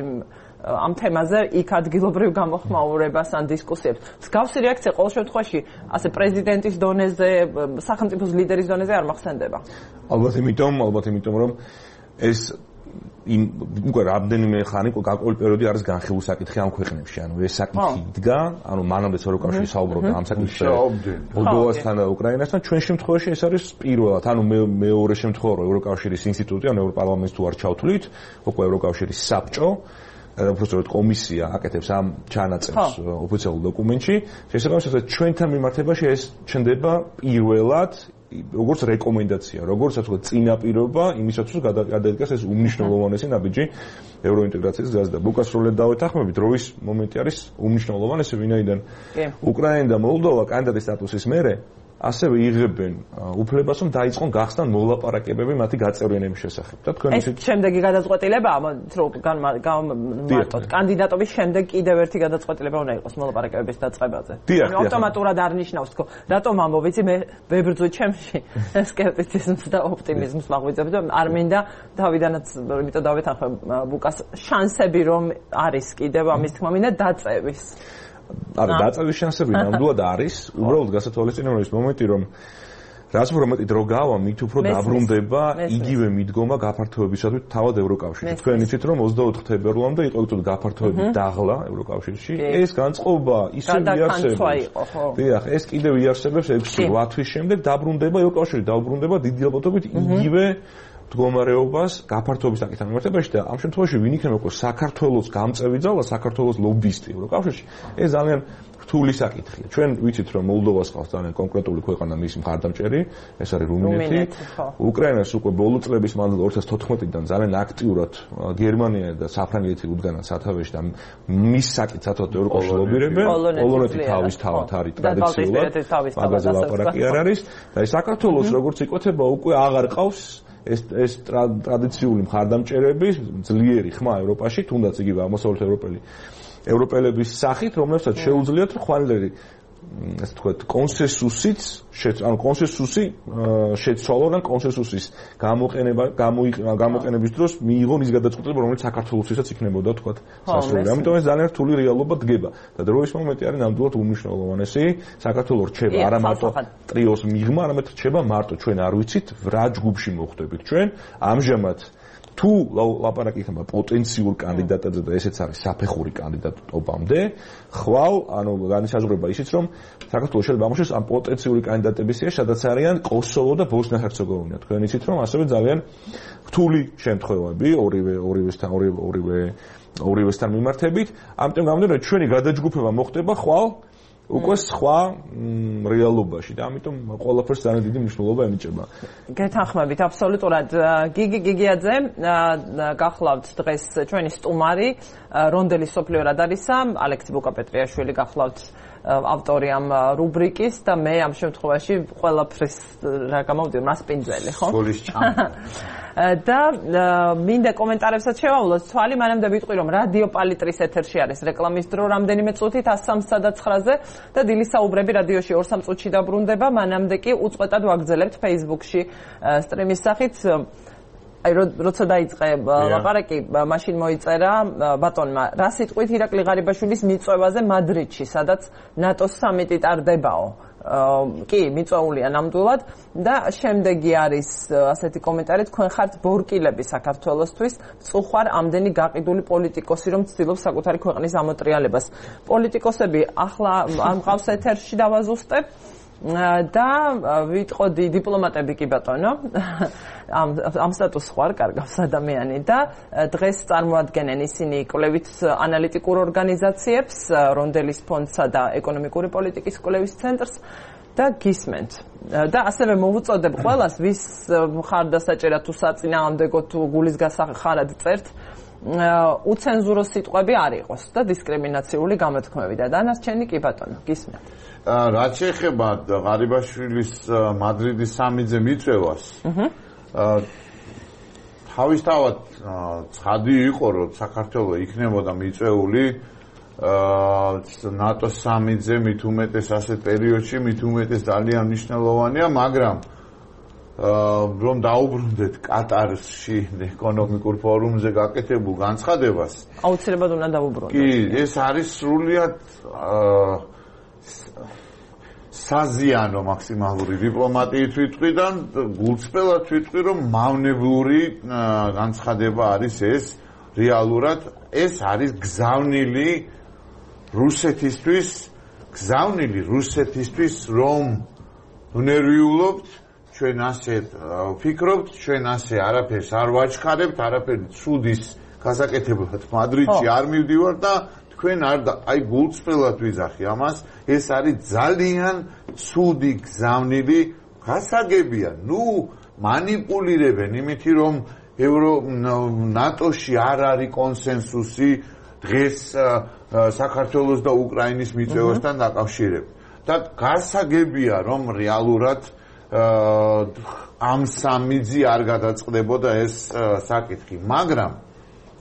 ამ თემაზე იქ ადგილობრივ გამოხმაურებას ან დისკუსიებს. მსგავსი რეაქცია ყოველ შემთხვევაში ასე პრეზიდენტის დონეზე, სახელმწიფოს ლიდერის დონეზე არ მახსენდება. ალბათ იმიტომ რომ ეს უკვე რამდენიმე ხანი გაკვეული პერიოდი არის განხილული საკითხი ამ ქვეყნებში. ანუ ეს საკითხი იდგა, ანუ მანამდეც ევროკავშირი საუბრობდა ამ საკითხზე მოლდოვასთან და უკრაინასთან. ჩვენ შემთხვევაში ეს არის პირველად, ანუ მეორე შემთხვევა, რომ ევროკავშირის ინსტიტუტი, ანუ ევროპარლამენტს თუ არ ჩავთვლით, უკვე ევროკავშირის საბჭო უბრალოდ კომისია აკეთებს ამ ჩანაწერს ოფიციალურ დოკუმენტში. შესაბამისად, ჩვენთან მიმართებაში ეს ჩნდება პირველად როგორც რეკომენდაცია, როგორც ასე ვთქვათ, წინაპირობა იმისათვის, რომ გადაიდგას ეს უმნიშვნელოვანესი ნაბიჯი ევროინტეგრაციის გზაზე და უკასროლედ დავეთანხმებით, როის მომენტი არის უმნიშვნელოვანესი, ვინაიდან უკრაინა და მოლდოვა კანდიდატის სტატუსის მერე ასევე იღებენ უფლებას, რომ დაიწყონ გახსნან მოლაპარაკებები მათი გაწევრიანების შესახებ. და თქვენ ისე შემდეგი გადაწყვეტილებაა, მარტოდ კანდიდატობის შემდეგ კიდევ ერთი გადაწყვეტილება უნდა იყოს მოლაპარაკებების დაწყებაზე. ანუ ავტომატურად არ ნიშნავს თქო, რატომ ამბობ, იცი მე ვებრძვი ჩემში სკეპტიციზმს და ოპტიმიზმს მაღვიძებ და არ მინდა თავიდანაც, იმიტომ დავეთანხმებ ბუკას შანსები რომ არის კიდევ ამის თქმა მინდა დაწევის. არა, დაწევის შანსები ნამდვილად არის, უბრალოდ გასათვალისწინებელია ის მომენტი, რომ რაც უფრო მეტი დრო გავა, მით უფრო დაბრუნდება იგივე მიდგომა გაფართოებისათვის თავად ევროკავშირში. თქვენ იცით, რომ 24 თებერვლამდე იყო უბრალოდ გაფართოების დაღლა ევროკავშირში. ეს განწყობა ისევ იარსებებს. დიახ, ეს კიდევ იარსებებს 6-8 თვის შემდეგ დაბრუნდება ევროკავშირი, დაუბრუნდება დიდი ალბათობით იგივე მდგომარეობას გაფართოების საკითხთან მიმართებაში და ამ შემთხვევაში ვინ იქნება უკვე საქართველოს გამწევი ძალა, საქართველოს ლობისტი ევროკავშირში. ეს ძალიან რთული საკითხია. ჩვენ ვიცით, რომ მოლდოვას ყავს ძალიან კონკრეტული ქვეყანა, მისი მხარდამჭერი, ეს არის რუმინეთი. უკრაინას უკვე ბოლო წლების მანძილზე 2014-დან ძალიან აქტიურად გერმანია და საფრანგეთი უდგანან სათავეში და მის საკითხს საერთოდ ევროკავშირში ლობირებენ. პოლონეთი თავის თავად არის ტრადიციულად, მაგაზე ლაპარაკი არ არის და ეს საქართველოს როგორც იკვეთება უკვე აღარ ყავს ეს ტრადიციული მხარდამჭერების ძლიერი ხმა ევროპაში, თუნდაც იგივე აღმოსავლეთ ევროპელების სახით, რომლებსაც შეუძლიათ ხვალერი ასე ვთქვათ, კონსენსუსიც, ანუ კონსენსუსი შეცვალონ ან კონსენსუსის გამოყენების დროს მიიღონ ის გადაწყვეტილება, რომელიც საქართველოსთვისაც იქნებოდა ვთქვათ სასრული. ამიტომ ეს ძალიან რთული რეალობა დგება და დროის მომენტი არის ნამდვილად უმნიშვნელოვანესი. საქართველოს რჩება არა მარტო ტრიოს მიღმა, არამედ რჩება მარტო ჩვენ არ ვიცით რა ჯგუფში მოხვდებით ჩვენ. ამჟამად თუ ლაპარაკი იქნება პოტენციურ კანდიდატებზე და ესეც არის საფეხური კანდიდატობამდე, ხვალ, ანუ განისაზღვრება ისიც, რომ საქართველოს შეიძლება ამოშეს ამ პოტენციური კანდიდატების სია, სადაც არიან კოსოვო და ბოსნია-ჰერცეგოვინა. თქვენ იცით, რომ ასევე ძალიან რთული შემთხვევები ორივესთან მიმართებით, ამიტომ გამოდიან, ჩვენი გადაჯგუფება მოხდება ხვალ უკვე სხვა რეალობაში და ამიტომ ყველაფერს ძალიან დიდი მნიშვნელობა ენიჭება. გეთანხმებით აბსოლუტურად. გიგი გიგიაძე გახლავთ დღეს ჩვენი სტუმარი, რონდელის სოფლიო რადარისა, ალექსი ბუკაპეტრიაშვილი გახლავთ ავტორი ამ რუბრიკის და მე ამ შემთხვევაში ყველაფრის რა გამოვიდა მასპინძელი, ხო? სკოლის ჭამი. და მინდა კომენტარებსაც შევავლოთ თვალი, მანამდე ვიტყვი, რომ რადიო პალიტრის ეთერში არის რეკლამის დრო რამდენიმე წუთით 103 და 9-ზე და დილის საუბრები რადიოში 2-3 წუთში დაბრუნდება, მანამდე კი უწყვეტად ვაგრძელებთ Facebook-ში სტრიმის სახით. აი როცა დაიწყე ლაპარაკი, მაშინ მოიწერა ბატონმა რა სიტყვით ირაკლი ღარიბაშვილის მიწვევაზე მადრიდში, სადაც ნატოს სამიტი ტარდებაო. კი, მიწვეულია ნამდვილად და შემდეგი არის ასეთი კომენტარი, თქვენ ხართ ბორკილები საქართველოსთვის, წუხარ ამდენი გაყიდული პოლიტიკოსი, რომ ცდილობს საკუთარი ქვეყნის ამოტრიალებას. პოლიტიკოსები ახლა ამყავს ეთერში დავაზუსტებ და ვიტყოდი დიპლომატები კი ბატონო ამ სტატუსს ხარ კარგავს ადამიანი და დღეს წარმოადგენენ ისინი კვლევით ანალიტიკურ ორგანიზაციებს, რონდელის ფონდსა და ეკონომიკური პოლიტიკის კვლევის ცენტრს და გისმენთ. და ასევე მოვუწოდებ ყველას, ვის მხარდასაჭერად თუ საწინააღმდეგო თუ გულისგასახარად წერთ, უცენზურო სიტყვები არ იყოს და დისკრიმინაციული გამოთქმები და დანარჩენი კი ბატონო, გისმენთ. რაც შეეხება ღარიბაშვილის მადრიდის სამიტზე მიწვევას, თავისთავად ცხადი იყო, რომ საქართველო იქნებოდა მიწვეული ნატოს სამიტზე, მით უმეტეს ასეთ პერიოდში, მით უმეტეს ძალიან მნიშვნელოვანია, მაგრამ რომ დაუბრუნდეთ კატარში ეკონომიკურ ფორუმზე გაკეთებულ განცხადებას, აუცილებლად უნდა დაუბრუნდეთ. კი, ეს არის სრულიად საზიანო მაქსიმალური დიპლომატიით ვიტყვი და გულწრფელად ვიტყვი, რომ მავნებლური განცხადება არის ეს რეალურად ეს არის გზავნილი რუსეთისთვის, რომ ნერვიულობთ, ჩვენ ასე ვფიქრობთ, ჩვენ ასე არაფერს არ ვაჩქარებთ, არაფერი ცუდის გასაკეთებლად მადრიდში არ მივდივარ და თქვენ აი გულწრფელად ვიძახი ამას, ეს არის ძალიან ცუდი გზავნილი გასაგებია. მანიპულირებენ იმითი, რომ ნატოში არ არის კონსენსუსი დღეს საქართველოს და უკრაინის მიწევასთან დაკავშირებით. და გასაგებია, რომ რეალურად ამ სამიძი არ გადაწყდებოდა ეს საკითხი, მაგრამ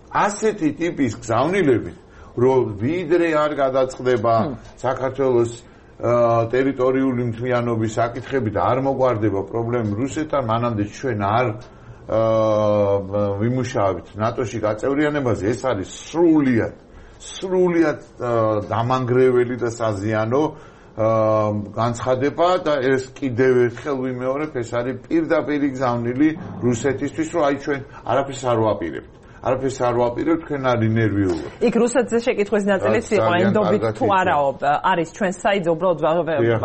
ასეთი ტიპის გზავნილებით, რომ ვიდრე არ გადაწყდება საქართველოს ტერიტორიული მთლიანობის საკითხები და არ მოგვარდება პრობლემები რუსეთთან, მანამდე ჩვენ არ ვიმუშავებთ ნატოში გაწევრიანებაზე, ეს არის სრულიად დამანგრეველი და საზიანო განცხადება და ეს კიდევ ერთხელ ვიმეორებ, ეს არის პირდაპირი გზავნილი რუსეთისთვის, რომ აი ჩვენ არაფერს არ ვაპირებთ. არაფერს არ ვაპირებთ, თქვენ არის ნერვიულობ. იქ რუსეთზე შეკითხვის ნაწილიც იყო, ენდობით თუ არაო, არის ჩვენ საიძე, უბრალოდ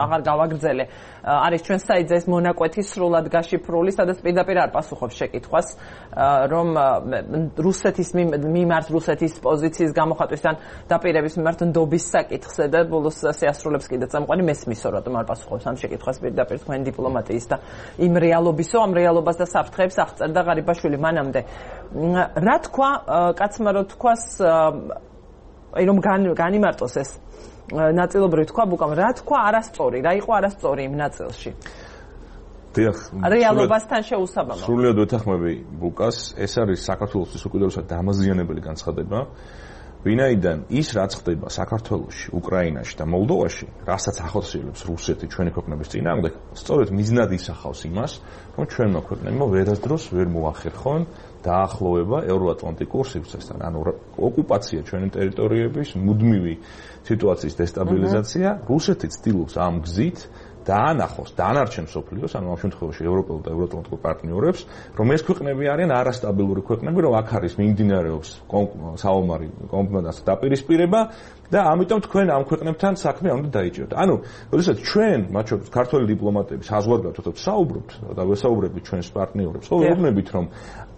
აღარ გავაგრძელე. არის ჩვენ საიძე ეს მონაკვეთი სრულად გაშიფრული, სადაც პირდაპირ არ პასუხობს შეკითხვას, რომ რუსეთის მიმართ რუსეთის პოზიციის გამოხატვისთან დაპირების მიმართ ნდობის საკითხზე და ბოლოს შეასრულებს კიდე წამყვანი მესმისო, რატომ არ პასუხობს ამ შეკითხვას პირდაპირ თქვენ დიპლომატიის და იმ რეალობისო, ამ რეალობას და საფრთხეებს აღწერდა ღარიბაშვილი მანამდე. რა თქვა კაცმა რო თქვას აი რომ განიმარტოს ეს ნაწილობრივ თქვა ბუკამ რა თქვა არასწორი რა იყო არასწორი იმ ნაწილში დიახ რეალობასთან შეუსაბამო სრულიად ვეთანხმები ბუკას ეს არის საქართველოსთვის უკიდურესად დამაზიანებელი განცხადება ვინაიდან ის რაც ხდება საქართველოში, უკრაინაში და მოლდოვაში, რასაც ახორციელებს რუსეთი ჩვენი ქვეყნების წინააღმდეგ, სწორედ მიზნად ისახავს იმას, რომ ჩვენმა ქვეყნებმა ვერასდროს ვერ მოახერხონ დაახლოება ევროატლანტიკურ სივრცესთან, ანუ ოკუპაცია ჩვენი ტერიტორიების, მუდმივი სიტუაციის დესტაბილიზაცია, რუსეთი ცდილობს ამ გზით დაანახოს დანარჩენ მსოფლიოს, ანუ ამ შემთხვევაში ევროპელ და ევროატლანტიკურ პარტნიორებს, რომ ეს ქვეყნები არიან არასტაბილური ქვეყნები, რომ აქ არის მიმდინარეობს საომარი კომპონენტის დაპირისპირება და ამიტომ თქვენ ამ ქვეყნებთან საქმე არ უნდა დაიჭიროთ. ანუ, როდესაც ჩვენ, მათ შორის ქართველი დიპლომატები საზღვარგარეთ საუბრობთ და ვესაუბრებით ჩვენს პარტნიორებს, ხო ვეუბნებით, რომ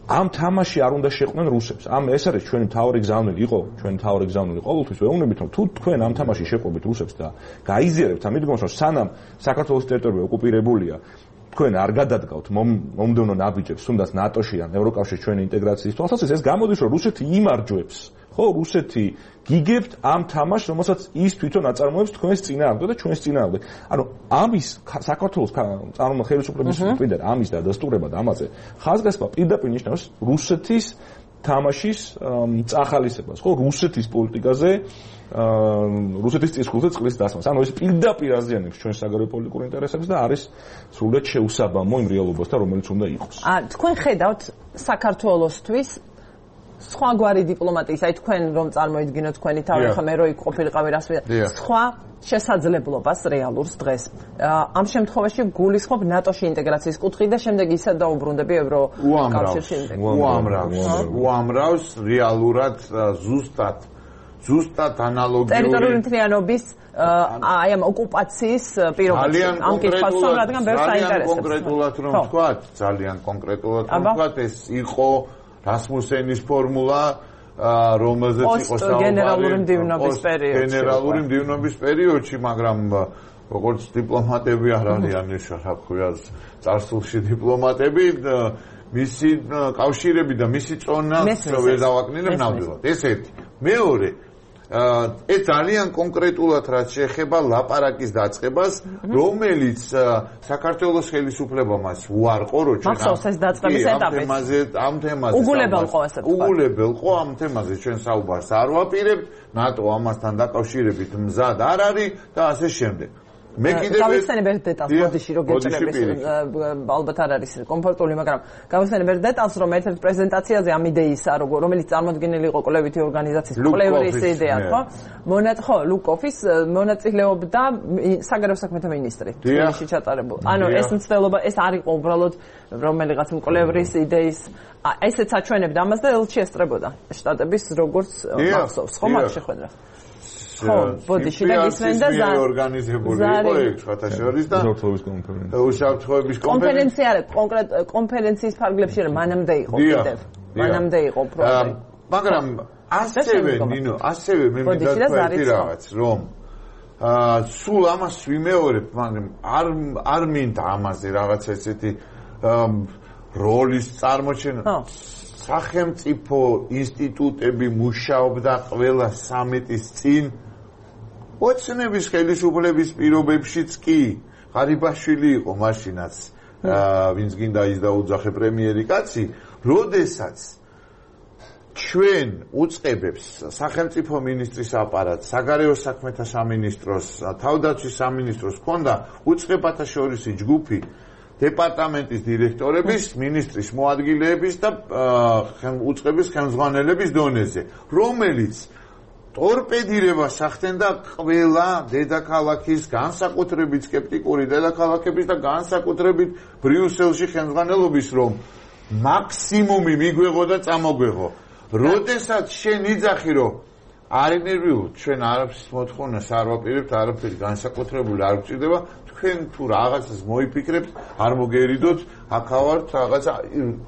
ამ თამაში არ უნდა შეყვნენ რუსებს. ეს არის ჩვენი მთავარი გზავნილი, ჩვენი მთავარი გზავნილი ყოველთვის ვეუბნებით, რომ თუ თქვენ ამ თამაში შეყვებით რუსებს და გაიზიარებთ ამ მიდგომას, რომ სანამ საქართველოს ტერიტორია ოკუპირებულია, თქვენ არ გადადგავთ მომდევნო ნაბიჯებს, თუნდაც ნატოში ან ევროკავშირის ჩვენი ინტეგრაციის თვალსაზრისით, ეს გამოდის, რომ რუსეთი იმარჯვებს. ხო, რუსეთი გიგებთ ამ თამაშს, რომელსაც ის თვითონ აწარმოებს თქვენს წინააღმდეგ და ჩვენს წინააღმდეგ. ანუ ამის საქართველოს ხელისუფლების მხრიდან ამის დადასტურება და ამაზე ხაზგასმა პირდაპირ ნიშნავს რუსეთის თამაშის წახალისებას, ხო, რუსეთის პოლიტიკაზე, რუსეთის წისქვილზე წყლის დასმას. ანუ ეს პირდაპირ აზიანებს ჩვენს საგარეო პოლიტიკურ ინტერესებს და არის სრულიად შეუსაბამო იმ რეალობასთან, რომელიც უნდა იყოს. თქვენ ხედავთ საქართველოსთვის სხვაგვარი დიპლომატიის, აი თქვენ რომ წარმოიდგინოთ თქვენი თავი, ხომ მე რო იქ ყოფილიყავი რას ვიდა, სხვა შესაძლებლობას რეალურს დღეს. ამ შემთხვევაში გულისხმობ ნატოში ინტეგრაციის კუთხით და შემდეგ ისე დაუბრუნდები ევროკავშირში ინტეგრაციას. უამრავს რეალურად ზუსტად ანალოგიური ტერიტორიული მთლიანობის აი ამ ოკუპაციის პირობებში ამ კითხვას რადგან ბევრს აინტერესებს. ძალიან კონკრეტულად ვთქვათ, ეს იყო რასმუსენის ფორმულა, რომელზეც იყო გენერალური მდივნობის პერიოდში, მაგრამ როგორც დიპლომატები არ არიან ეს რა ქვია წარსულში დიპლომატები, მისი კავშირები და მისი წონა ვერ დავაკნინებ ნამდვილად. ეს ერთი. მეორე, ეს ძალიან კონკრეტულად რაც შეეხება ლაპარაკის დაწყებას, რომელიც საქართველოს ხელისუფლებამაც უარყო, რომ ჩვენ ამ თემაზე უგულებელყო ამ თემაზე ჩვენ საუბარს არ ვაპირებთ, ნატო ამასთან დაკავშირებით მზად არ არის და ასე შემდეგ. მე კიდევ გავიხსენებ დეტალს ბოდიში რო გეჭრების ალბათ არ არის კომფორტული, მაგრამ გავიხსენებ დეტალს, რომ ერთ-ერთ პრეზენტაციაზე ამ idეისა, რომელიც წარმოდგენილი იყო კვლევითი ორგანიზაციის კვლევრის იდეა, ხო, ლუკოფის მონაწილეობდა საგარეო საქმეთა მინისტრი თბილისში ჩატარებულ. ანუ ეს მცდელობა ეს არ იყო უბრალოდ რომელიღაც მკვლევრის იდეის ესეც აჩვენებდა ამას და ელჩი ესწრებოდა შტატების როგორც მახსოვს, ხო მაგ შეხვედრა. ხო, ბოდიში და ისმენდა ორგანიზებული იყო ეგ შეთაშორის და უსაფრთხოების კონფერენცია არა, კონკრეტ კონფერენციის ფარგლებში რა მანამდე იყო კიდევ. მანამდე იყო პროექტი. მაგრამ ასევე მე მინდა თქვი რაღაც, რომ სულ ამას ვიმეორებ, მაგრამ არ მინდა ამაზე რაღაც ესეთი როლის წარმოჩენა. სახელმწიფო ინსტიტუტები მუშაობდა ყველა სამეტის წინ ოცნების ხელისუფლების პირობებშიც კი ღარიბაშვილი იყო მაშინაც ვინც გინდა ის დაუძახე პრემიერი კაცი როდესაც ჩვენ უწყებებს სახელმწიფო მინისტრის აპარატს საგარეო საქმეთა სამინისტროს თავდაცვის სამინისტროს ჰქონდა უწყებათა შორისი ჯგუფი დეპარტამენტის დირექტორების, მინისტრის მოადგილეების და უწყების ხელმძღვანელების დონეზე, რომელიც ტორპედირებას ახდენდა ყველა დედაქალაქის, განსაკუთრებით სკეპტიკური დედაქალაქების და განსაკუთრებით ბრიუსელში ხელმძღვანელობის, რომ მაქსიმუმი მიგვეღო და წამოგვეღო. როდესაც შენ იძახი, რომ არის ნერვიულ, ჩვენ არაფრის მოთხოვნას არ ვაპირებთ, არაფერი განსაკუთრებული არ გვჭირდება, თქვენ თუ რაღაცას მოიფიქრებთ, არ მოგერიდოთ, აქავართ რაღაცა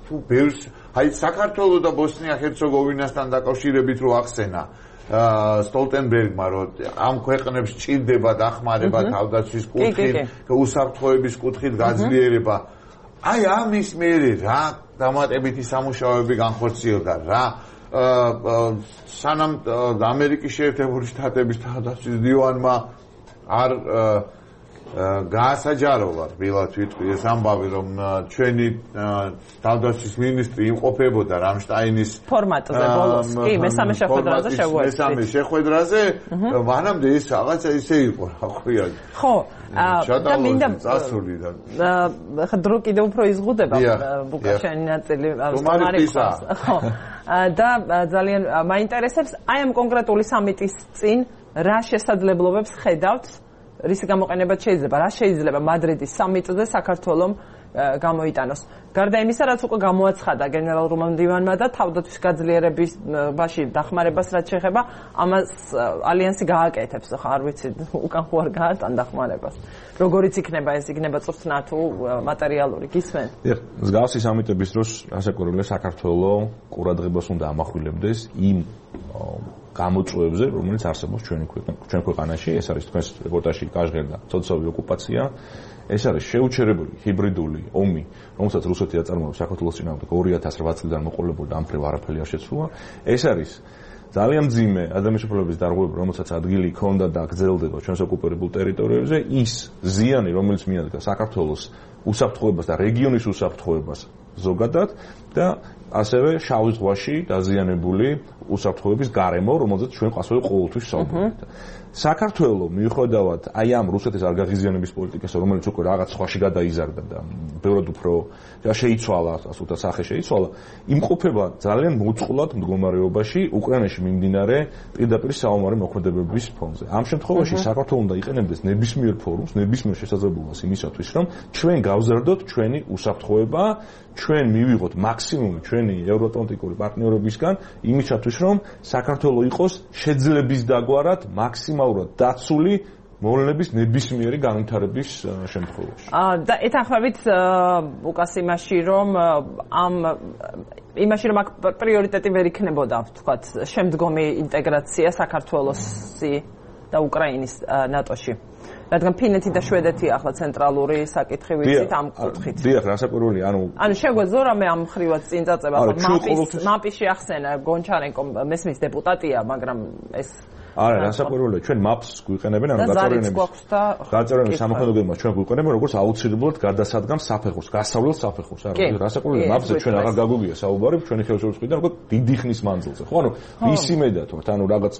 თუ ბევრს, აი საქართველოს და ბოსნია-ჰერცეგოვინასთან დაკავშირებით რო ახსენა სტოლტენბერგმა, რომ ამ ქვეყნებს ჭირდება დახმარება თავდაცვის კუთხით, უსაფრთხოების კუთხით გაძლიერება. აი ამის მერე რა დამატებითი სამუშაოები განხორციელდა რა სანამ ამერიკის შეერთებული შტატების თავდაცვის დივანმა არ გაასაჯაროვა რბილად ვიტყვი ეს ამბავი რომ ჩვენი თავდაცვის მინისტრი იმყოფებოდა რამშტაინის ფორმატზე ბოლოს კი მესამე შეხვედრაზე შეგვეცდით მესამე შეხვედრაზე მანამდე ეს რაღაცა ისე იყო რა ქვია ხო და მინდა წასული და ხა დრო კიდევ უფრო იზღუდება ბუკაშენი ნაწილი ხო და ძალიან მაინტერესებს აი ამ კონკრეტული სამიტის წინ რა შესაძლებლობებს ხედავთ რისი გამოყენებაც შეიძლება რა შეიძლება მადრიდის სამიტზე საქართველოს გამოიტანოს გარდა იმისა რაც უკვე გამოაცხადა გენერალურმა მდივანმა და თავდაცვის გაძლიერებაში დახმარებას რაც შეეხება ამას ალიანსი გააკეთებს ხო არ ვიცი უკან ხო არ გაატან დახმარებას როგორიც იქნება ეს იქნება წვრთნა თუ მატერიალური გისმენ მსგავსი სამიტების დროს რასაკვირველია საქართველოს ყურადღებას უნდა ამახვილებდეს იმ გამოწვევებზე, რომელიც არსებობს ჩვენ ქვეყანაში, ეს არის თქვენს რეპორტაჟში გაჟღერდა სოციალური ოკუპაცია, ეს არის შეუჩერებელი ჰიბრიდული ომი, რომელსაც რუსეთი აწარმოებს საქართველოს წინააღმდეგ 2008 წლიდან მოყოლებოდა ამ ფრივ არაფერი არ შეცვლა. ეს არის ძალიან მძიმე ადამიანის უფლებების დარღვევა, რომელსაც ადგილი ჰქონდა და გრძელდება ჩვენს ოკუპირებულ ტერიტორიებზე, ის ზიანი, რომელიც მიადგა საქართველოს უსაფრთხოებას და რეგიონის უსაფრთხოებას ზოგადად და ასევე შავი ზღვაში დაზიანებული უსაფრთხოების გარემო, რომელზეც ჩვენ ყასველი ყოველთვის ვსაუბრობთ. საქართველოს მიუხედავად აი ამ რუსეთის არ გაღიზიანების პოლიტიკას, რომელიც უკვე რაღაც სხვაში გადაიზარდა და ბევრად უფრო შეიცვალა, ასე ვთქვათ, სახე შეიცვალა, იმყოფება ძალიან მოწყვლად მდგომარეობაში უკრაინაში მიმდინარე პირდაპირ საომარი მოქმედებების ფონზე. ამ შემთხვევაში საქართველოს უნდა იყენებდეს ნებისმიერ ფორუმს, ნებისმიერ შესაძლებლობას იმისათვის, რომ ჩვენ გავზარდოთ ჩვენი უსაფრთხოება, ჩვენ მივიღოთ მაქსიმუმი ჩვენი ევროატლანტიკური პარტნიორებისგან იმისათვის, რომ საქართველოს იყოს შეძლების დაგვარად მაქსიმალურად დაცული მოვლენების ნებისმიერი განვითარების შემთხვევაში. და ეთანხმებით უკას იმაში, რომ აქ პრიორიტეტი ვერ იქნებოდა, ვთქვათ, შემდგომი ინტეგრაცია საქართველოსი და უკრაინის ნატოში. რადგან ფინეთი და შვედეთი ახლა ценტრალური საკითხი ვიცით ამ კუთხით. დიახ, რასაკვირველია, ანუ შეგვეძლო რამე ამ ხრივად წინ წაწება, მაპიში ახსენა გონჩარენკო მესმის დეპუტატია, მაგრამ ეს არა, რასაკვირველია, ჩვენ maps გვიყენებენ, ანუ გაწევრიანების სამოქმედებმა ჩვენ გვიყენებენ როგორც აუცილებლად გადასადგამ საფეხურს, გასავლელ საფეხურს, არა, რასაკვირველია, maps-ზე ჩვენ აღარ გაგვიგია საუბარი, ჩვენი ხელშეუწყიდან უკვე დიდი ხნის მანძილზე. ხო, ანუ ისი მედად ვართ, ანუ რაღაც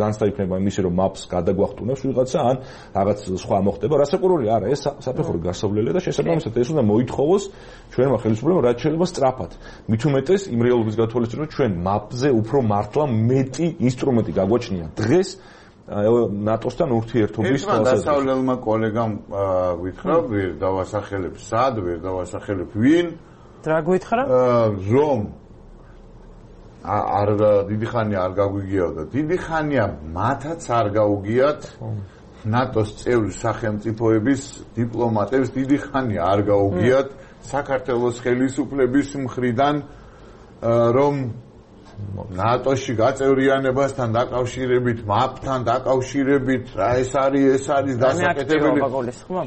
განცდა იქნება იმისი, რომ maps გადაგვახტუნებს ვიღაცა, ან რაღაც სხვა მოხდება, რასაკვირველია, არა, ეს საფეხური გასავლელია და შესაბამისად ეს უნდა მოითხოვოს ჩვენმა ხელისუფლებამ, რაც შეიძლება სწრაფად. მით უმეტეს იმ რეალობის გათვალისწინებით, ჩვენ maps-ზე უფრო მართლა მეტი ინსტრუმენტი გაგვაჩნია დღეს ნატოსთან ურთიერთობის თვალსაზრისით. დასავლელმა კოლეგამ გითხრა, ვერ დავასახელებ სად, ვერ დავასახელებ ვინ. რა გითხრა? რომ არ დიდი ხანია არ გაგვიგიაო და დიდი ხანია მათაც არ გაუგიათ ნატოს წევრი სახელმწიფოების დიპლომატებს დიდი ხანია არ გაუგიათ საქართველოს ხელისუფლების მხრიდან რომ ნატოში გაწევრიანებასთან დაკავშირებით, მაპთან დაკავშირებით, რა ეს არის დასაკეთებელი.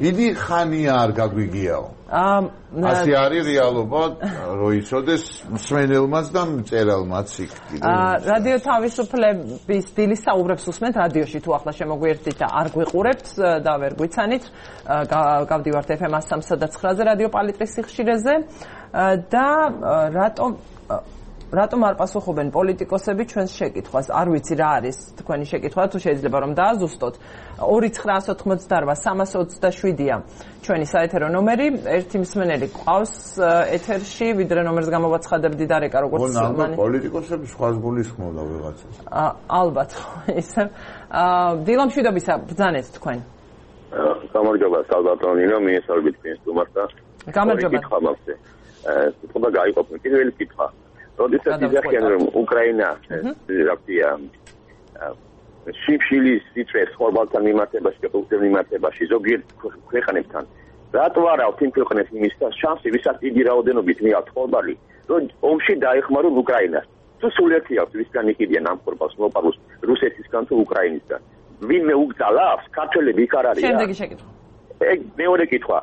დიდი ხანია არ გაგვიგიაო. ასე არის რეალობა, რომ იცოდეს მსმენელმაც და მწერალმაც იქ. რადიო თავისუფლების დილის საუბრებს უსმენთ რადიოში თუ ახლა შემოგვიერთდით და არ გვიყურებთ და ვერ გვიცანით, გავდივართ FM 103.9-ზე რადიო პალიტრის სიხშირეზე და რატომ არ პასუხობენ პოლიტიკოსები ჩვენს შეკითხვას? არ ვიცი რა არის თქვენი შეკითხვა, თუ შეიძლება რომ დააზუსტოთ. 2988-327-ია ჩვენი საეთერო ნომერი. ერთი მსმენელი ყავს ეთერში, ვიდრე ნომერს გამოვაცხადებდი და რეკა როგორც მანი. პოლიტიკოსები სხვას გულისხმობდა ვიღაცას. ალბათ, ისე. დილამშვიდობისა ბრძანეთ თქვენ. გამარჯობა, სალვატორინო, მიესალმებით პინსტუმარს და გამარჯობა. კითხვა მაქვს. თქო გაიყოფნი პირველი კითხვა. როდესაც იზახიან რომ უკრაინა რაფია შიფშილის სიტყვეს ხორბალთან მიმართებაში და ფუძემ მიმართებაში ზოგიერთ ქვეყნებთან რატო არა თიმ ქვეყნებს იმის და შანსი ვისაც დიდი რაოდენობით მიაქვთ ხორბალი რომ ომში დაეხმარონ უკრაინას თუ სულერთი აქვს ვისგან იყიდიან ამ ხორბალს მოპაროს რუსეთისგან თუ უკრაინისგან ვინმე უგზალავს ქართველები იქ არ არიან შემდეგი შეკითხვა მეორე კითხვა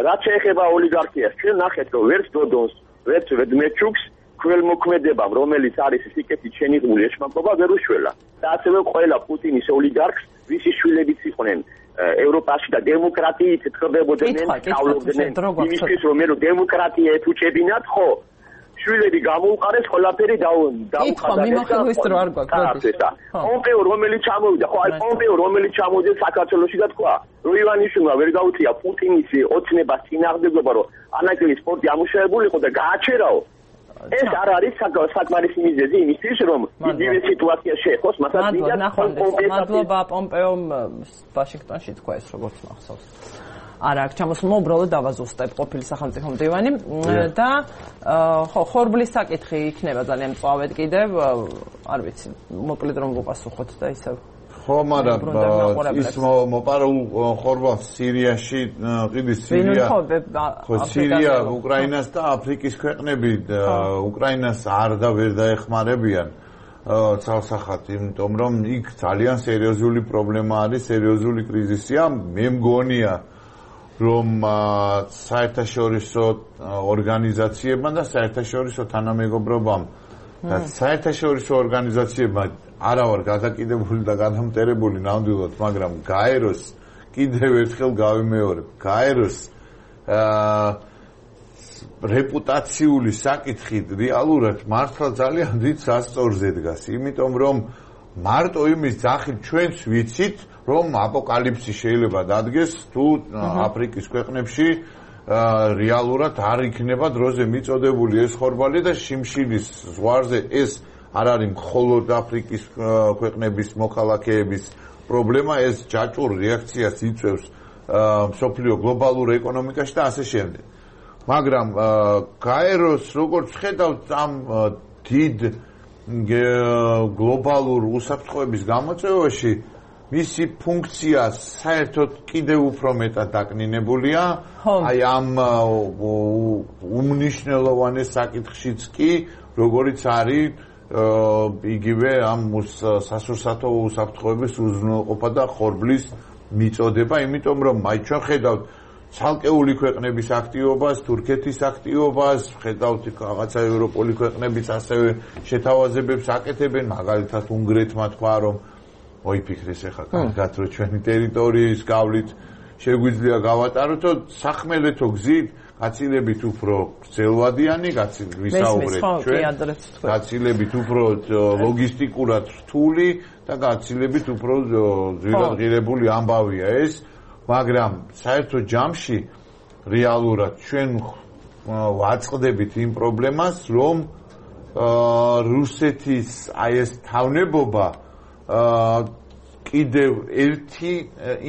რაც შეეხება ოლიგარქიას ჩვენ ნახეთ რომ ვერც დოდონს ვერც მედმეჩუკს ქველმოქმედებამ, რომელიც არის სიკეთის შენიღული ეშმაკობა ვერ უშველა. და ასევე ყველა პუტინის ოლიგარქს, ვისი შვილებიც იყვნენ ევროპაში და დემოკრატიით ეთყობებოდნენ, სწავლობდნენ იმისთვის, რომ მე დემოკრატია ეთუჭებინათ, ხო? შვილები გამოუყარეს, ყველაფერი დაუყარეს. მიმოხილვის დრო არ გვაქვს. პომპეო რომელიც ჩამოვიდა, ხო, აი პომპეო რომელიც ჩამოვიდა საქართველოში და თქვა, რომ ივანიშვილმა ვერ გაუწია პუტინის ოცნებას წინააღმდეგობა, რომ ანაკლიის პორტი ამუშავებული იყო და გააჩერაო. ეს არ არის საკმარისი მიზეზი იმისთვის, რომ იგივე სიტუაცია შეეხოს, მასალ დიდად მადლობა პომპეომ ვაშინგტონში თქვა ეს როგორც მახსოვს. არა, აქ ჩამოსულმა უბრალოდ დავაზუსტებ ყოფილი სახელმწიფო მდივანი და ხო, ხორბლის საკითხი იქნება ძალიან მწვავედ კიდევ, არ ვიცი, მოკლედ რომ ვუპასუხოთ და ისევ ხო, მაგრამ ის მოპარულ ხორბალს სირიაში, ყიდის სირია. ხო, სირია, უკრაინას და აფრიკის ქვეყნები უკრაინას არ და ვერ დაეხმარებიან ცალსახად, იმიტომ რომ იქ ძალიან სერიოზული პრობლემა არის, სერიოზული კრიზისია. მე მგონია, რომ საერთაშორისო ორგანიზაციებმა და საერთაშორისო თანამეგობრობამ და საერთაშორისო ორგანიზაციებმა არა ვარ გადაკიდებული და გადამტერებული ნამდვილად, მაგრამ გაეროს კიდევ ერთხელ გავიმეორებ. გაეროს რეპუტაციული საკითხი რეალურად მართლა ძალიან დიდ სასწორზე დგას, იმიტომ რომ მარტო იმის ძახით ჩვენც ვიცით, რომ აპოკალიფსი შეიძლება დადგეს თუ აფრიკის ქვეყნებში რეალურად არ იქნება დროზე მიწოდებული ეს ხორბალი და შიმშილის ზღვარზე ეს არ არის მხოლოდ აფრიკის ქვეყნების მოქალაქეების პრობლემა, ეს ჯაჭვურ რეაქციას იწვევს მსოფლიო გლობალურ ეკონომიკაში და ასე შემდეგ. მაგრამ გაეროს როგორც ხედავთ ამ დიდ გლობალურ უსაფრთხოების გამოწვევაში მისი ფუნქცია საერთოდ კიდევ უფრო მეტად დაკნინებულია. აი ამ უმნიშვნელოვანეს საკითხშიც კი, როგორიც არის იგივე ამ სასურსათო უსაფრთხოების უზრუნველყოფა და ხორბლის მიწოდება, იმიტომ რომ აი ჩვენ ხედავთ ცალკეული ქვეყნების აქტივობას, თურქეთის აქტივობას, ხედავთ რაღაცა ევროპული ქვეყნებიც ასევე შეთავაზებებს აკეთებენ, მაგალითად უნგრეთმა თქვა, რომ მოიფიქრეს ახლა კარგად რომ ჩვენი ტერიტორიის გავლით შეგვიძლია გავატაროთო სახმელეთო გზით გაცილებით უფრო გრძელვადიანი ვისაუბრეთ ჩვენ გაცილებით უფრო ლოგისტიკურად რთული და გაცილებით უფრო ძვირადღირებული ამბავია ეს მაგრამ საერთო ჯამში რეალურად ჩვენ ვაწყდებით იმ პრობლემას რომ რუსეთის აი ეს თავნებობა კიდევ ერთი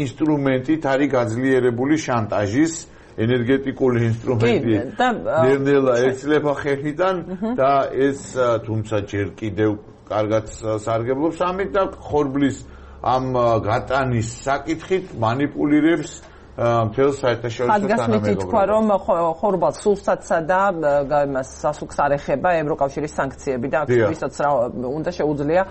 ინსტრუმენტით არის გაძლიერებული შანტაჟის ენერგეტიკული ინსტრუმენტი ნელ-ნელა ეცლება ხელიდან და ეს თუმცა ჯერ კიდევ კარგად სარგებლობს ამით და ხორბლის ამ გატანის საკითხით მანიპულირებს მთელ საერთაშორისო თანამეგობრობას. თქვა რომ ხორბალს სულსაცსა და იმას სასუქს არ ეხება ევროკავშირის სანქციები და ვისაც რა უნდა შეუძლია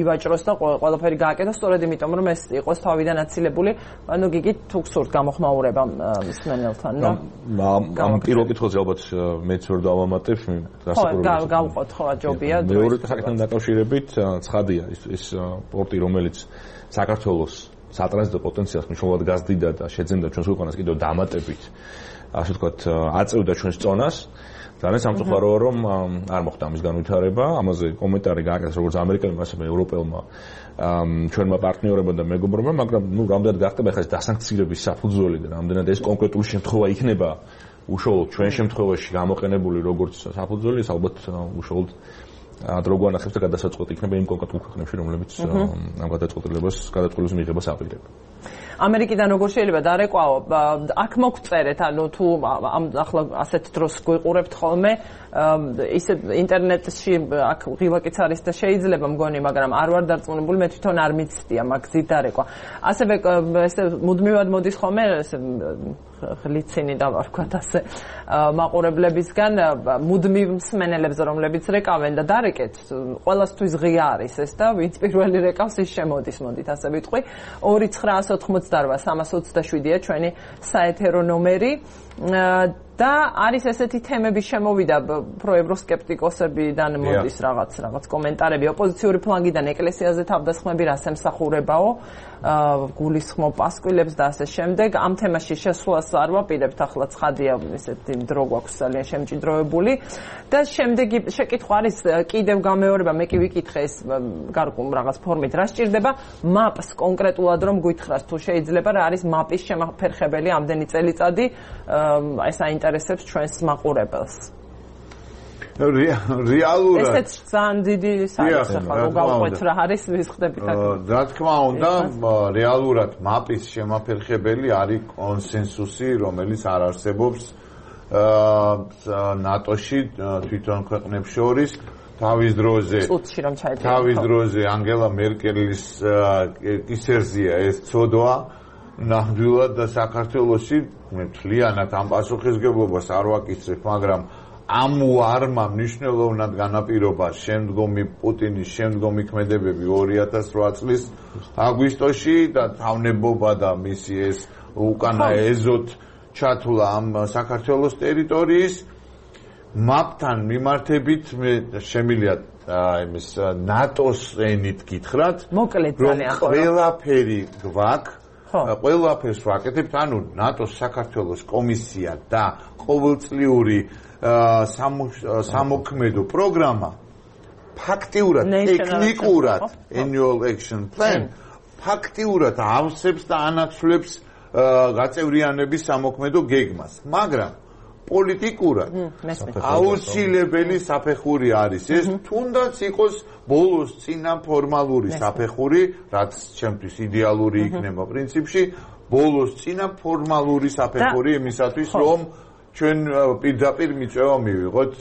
ივაჭროს და ყველაფერი გააკეთოს სწორედ იმიტომ რომ ეს იყოს თავიდან აცილებული ანუ გიგით თუ გსურთ გამოხმაურება მსმენელთან და ამ პირველ კითხვაზე ალბათ მეც ვერ დავამატებ დასაკვირვებლად გავყოთ ხო ჯობია მეორე საკითხთან დაკავშირებით ცხადია ის პორტი რომელიც საქართველოს სატრანზიტო პოტენციალს მნიშვნელოვნად გაზრდიდა და შეძენდა ჩვენს ქვეყანას კიდევ დამატებით ასე ვთქვათ აწევდა ჩვენს წონას ძალიან სამწუხაროა რომ არ მოხდა ამის განვითარება ამაზე კომენტარი გააკეთეს როგორც ამერიკელმა ასევე ევროპელმა ჩვენმა პარტნიორებმა და მეგობრებმა მაგრამ ნუ რამდენად გახდება ახლა ეს დასანქცირების საფუძველი და რამდენად ეს კონკრეტული შემთხვევა იქნება უშუალოდ ჩვენ შემთხვევაში გამოყენებული როგორც საფუძველი ეს ალბათ უშუალოდ დრო გვანახებს და გადასაწყვეტი იქნება იმ კონკრეტულ ქვეყნებში, რომლებიც ამ გადაწყვეტილების მიღებას აპირებენ. ამერიკიდან როგორ შეიძლება დარეკვაო? აქ მოგწერეთ, ანუ თუ ახლა ასეთ დროს გვიყურებთ ხოლმე, ისე ინტერნეტში აქ ღილაკიც არის და შეიძლება მგონი, მაგრამ არ ვარ დარწმუნებული, მე თვითონ არ მიცდია მაგზით დარეკვა. ასევე ესე მუდმივად მოდის ხოლმე ესე ლიცინის და ვარქვათ ასე მაყურებლებისგან მუდმივ მსმენელებს რომლებიც რეკავენ და დარეკეთ ყველასთვის ღია არის ეს და ვინც პირველი რეკავს ის შემოდის მოდით ასე ვიტყვი 2988327-ია ჩვენი საეთერო ნომერი და არის ესეთი თემები შემოვიდა პროევროსკეპტიკოსებიდან მოდის რაღაც კომენტარები ოპოზიციური ფლანგიდან ეკლესიაზე თავდასხმები რას ემსახურებაო გულისხმობ პასკვილებს და ასე შემდეგ ამ თემაში შესვლას არ ვაპირებთ ახლა ცხადია ესეთი დრო გვაქვს ძალიან შემჭიდროებული და შემდეგი შეკითხვა არის კიდევ გამეორება მე კი ვიკითხე ეს გარკვეულ რაღაც ფორმით რა სჭირდება მაპს კონკრეტულად რომ გითხრას თუ შეიძლება რა არის მაპის შემაფერხებელი ამდენი წელიწადი ეს აინტერესებს ჩვენს მაყურებელს რეალურად ესეც ძალიან დიდი საერთო ხალხო გავყვეთ რა არის ვისხდებით აქ რა თქმა უნდა რეალურად მაპის შემაფერხებელი არის კონსენსუსი რომელიც არ არსებობს ნატოში თვითონ ქვეყნებს შორის თავის დროზე ანგელა მერკელის კისერზეა ეს ცოდვა ნამდვილად და საქართველოში მე მთლიანად ამ პასუხისგებლობას არ ვაკისრებ მაგრამ ამ ვარმა მნიშვნელოვნად განაპირობა შემდგომი პუტინის შემდგომი ქმედებები 2008 წლის აგვისტოში და თავნებობა და მისი ეს უკანა ეზოთ ჩათვლა ამ საქართველოს ტერიტორიის მაპთან მიმართებით მე შემიძლია იმის ნატოს ენით გითხრათ რომ ყველაფერი გვაქვს ყველაფერს ვაკეთებთ ანუ ნატოს საქართველოს კომისია და ყოველწლიური სამოქმედო პროგრამა ფაქტიურად ტექნიკურად annual action plan ფაქტიურად ავსებს და ანაცვლებს გაწევრიანების სამოქმედო გეგმას მაგრამ პოლიტიკურად აუცილებელი საფეხური არის ეს თუნდაც იყოს ბოლოს წინა ფორმალური საფეხური რაც ჩემთვის იდეალური იქნება პრინციპში ბოლოს წინა ფორმალური საფეხური იმისათვის რომ ჩვენ პირდაპირ მიწვევა მივიღოთ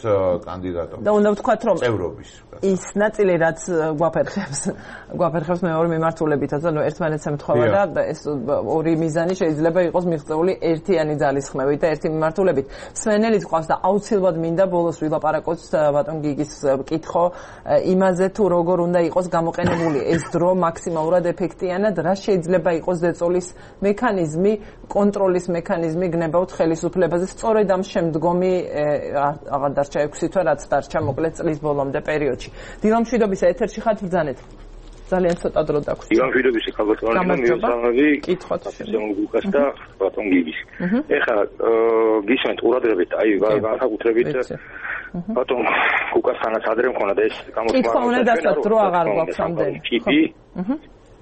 კანდიდატებს და უნდა ვთქვათ რომ წევრობის ის ნაწილი რაც გვაფერხებს მეორე მიმართულებითაც ანუ ერთმანეთს ემთხვევა და ეს ორი მიზანი შეიძლება იყოს მიღწეული ერთიანი ძალისხმევით და ერთი მიმართულებით სვენელიც ყავს და აუცილებლად მინდა ბოლოს ვილაპარაკოთ ბატონ გიგის კითხო იმაზე თუ როგორ უნდა იყოს გამოყენებული ეს დრო მაქსიმალურად ეფექტიანად რა შეიძლება იყოს ზეწოლის მექანიზმი კონტროლის მექანიზმი გნებავთ ხელისუფლებაზე სწორედ ამ შემდგომი აღარ დარჩა 6 თვე რაც დარჩა მოკლედ წლის ბოლომდე პერიოდში დილამშვიდობის ეთერში ხართ ბრძანეთ ძალიან ცოტა დრო დაგვსწრა. იგამშვიდობისი ხალხო, მიესალმები. კითხოთ გუკას და ბატონ გიგის. ეხლა გისმენთ ყურადღებით, აი განსაკუთრებით ბატონ გუკასთანაც ადრე მქონდა ეს გამოსვლა. კითხვა უნდა დასწროთ, დრო აღარ გვაქვს ამდენი. ტიპი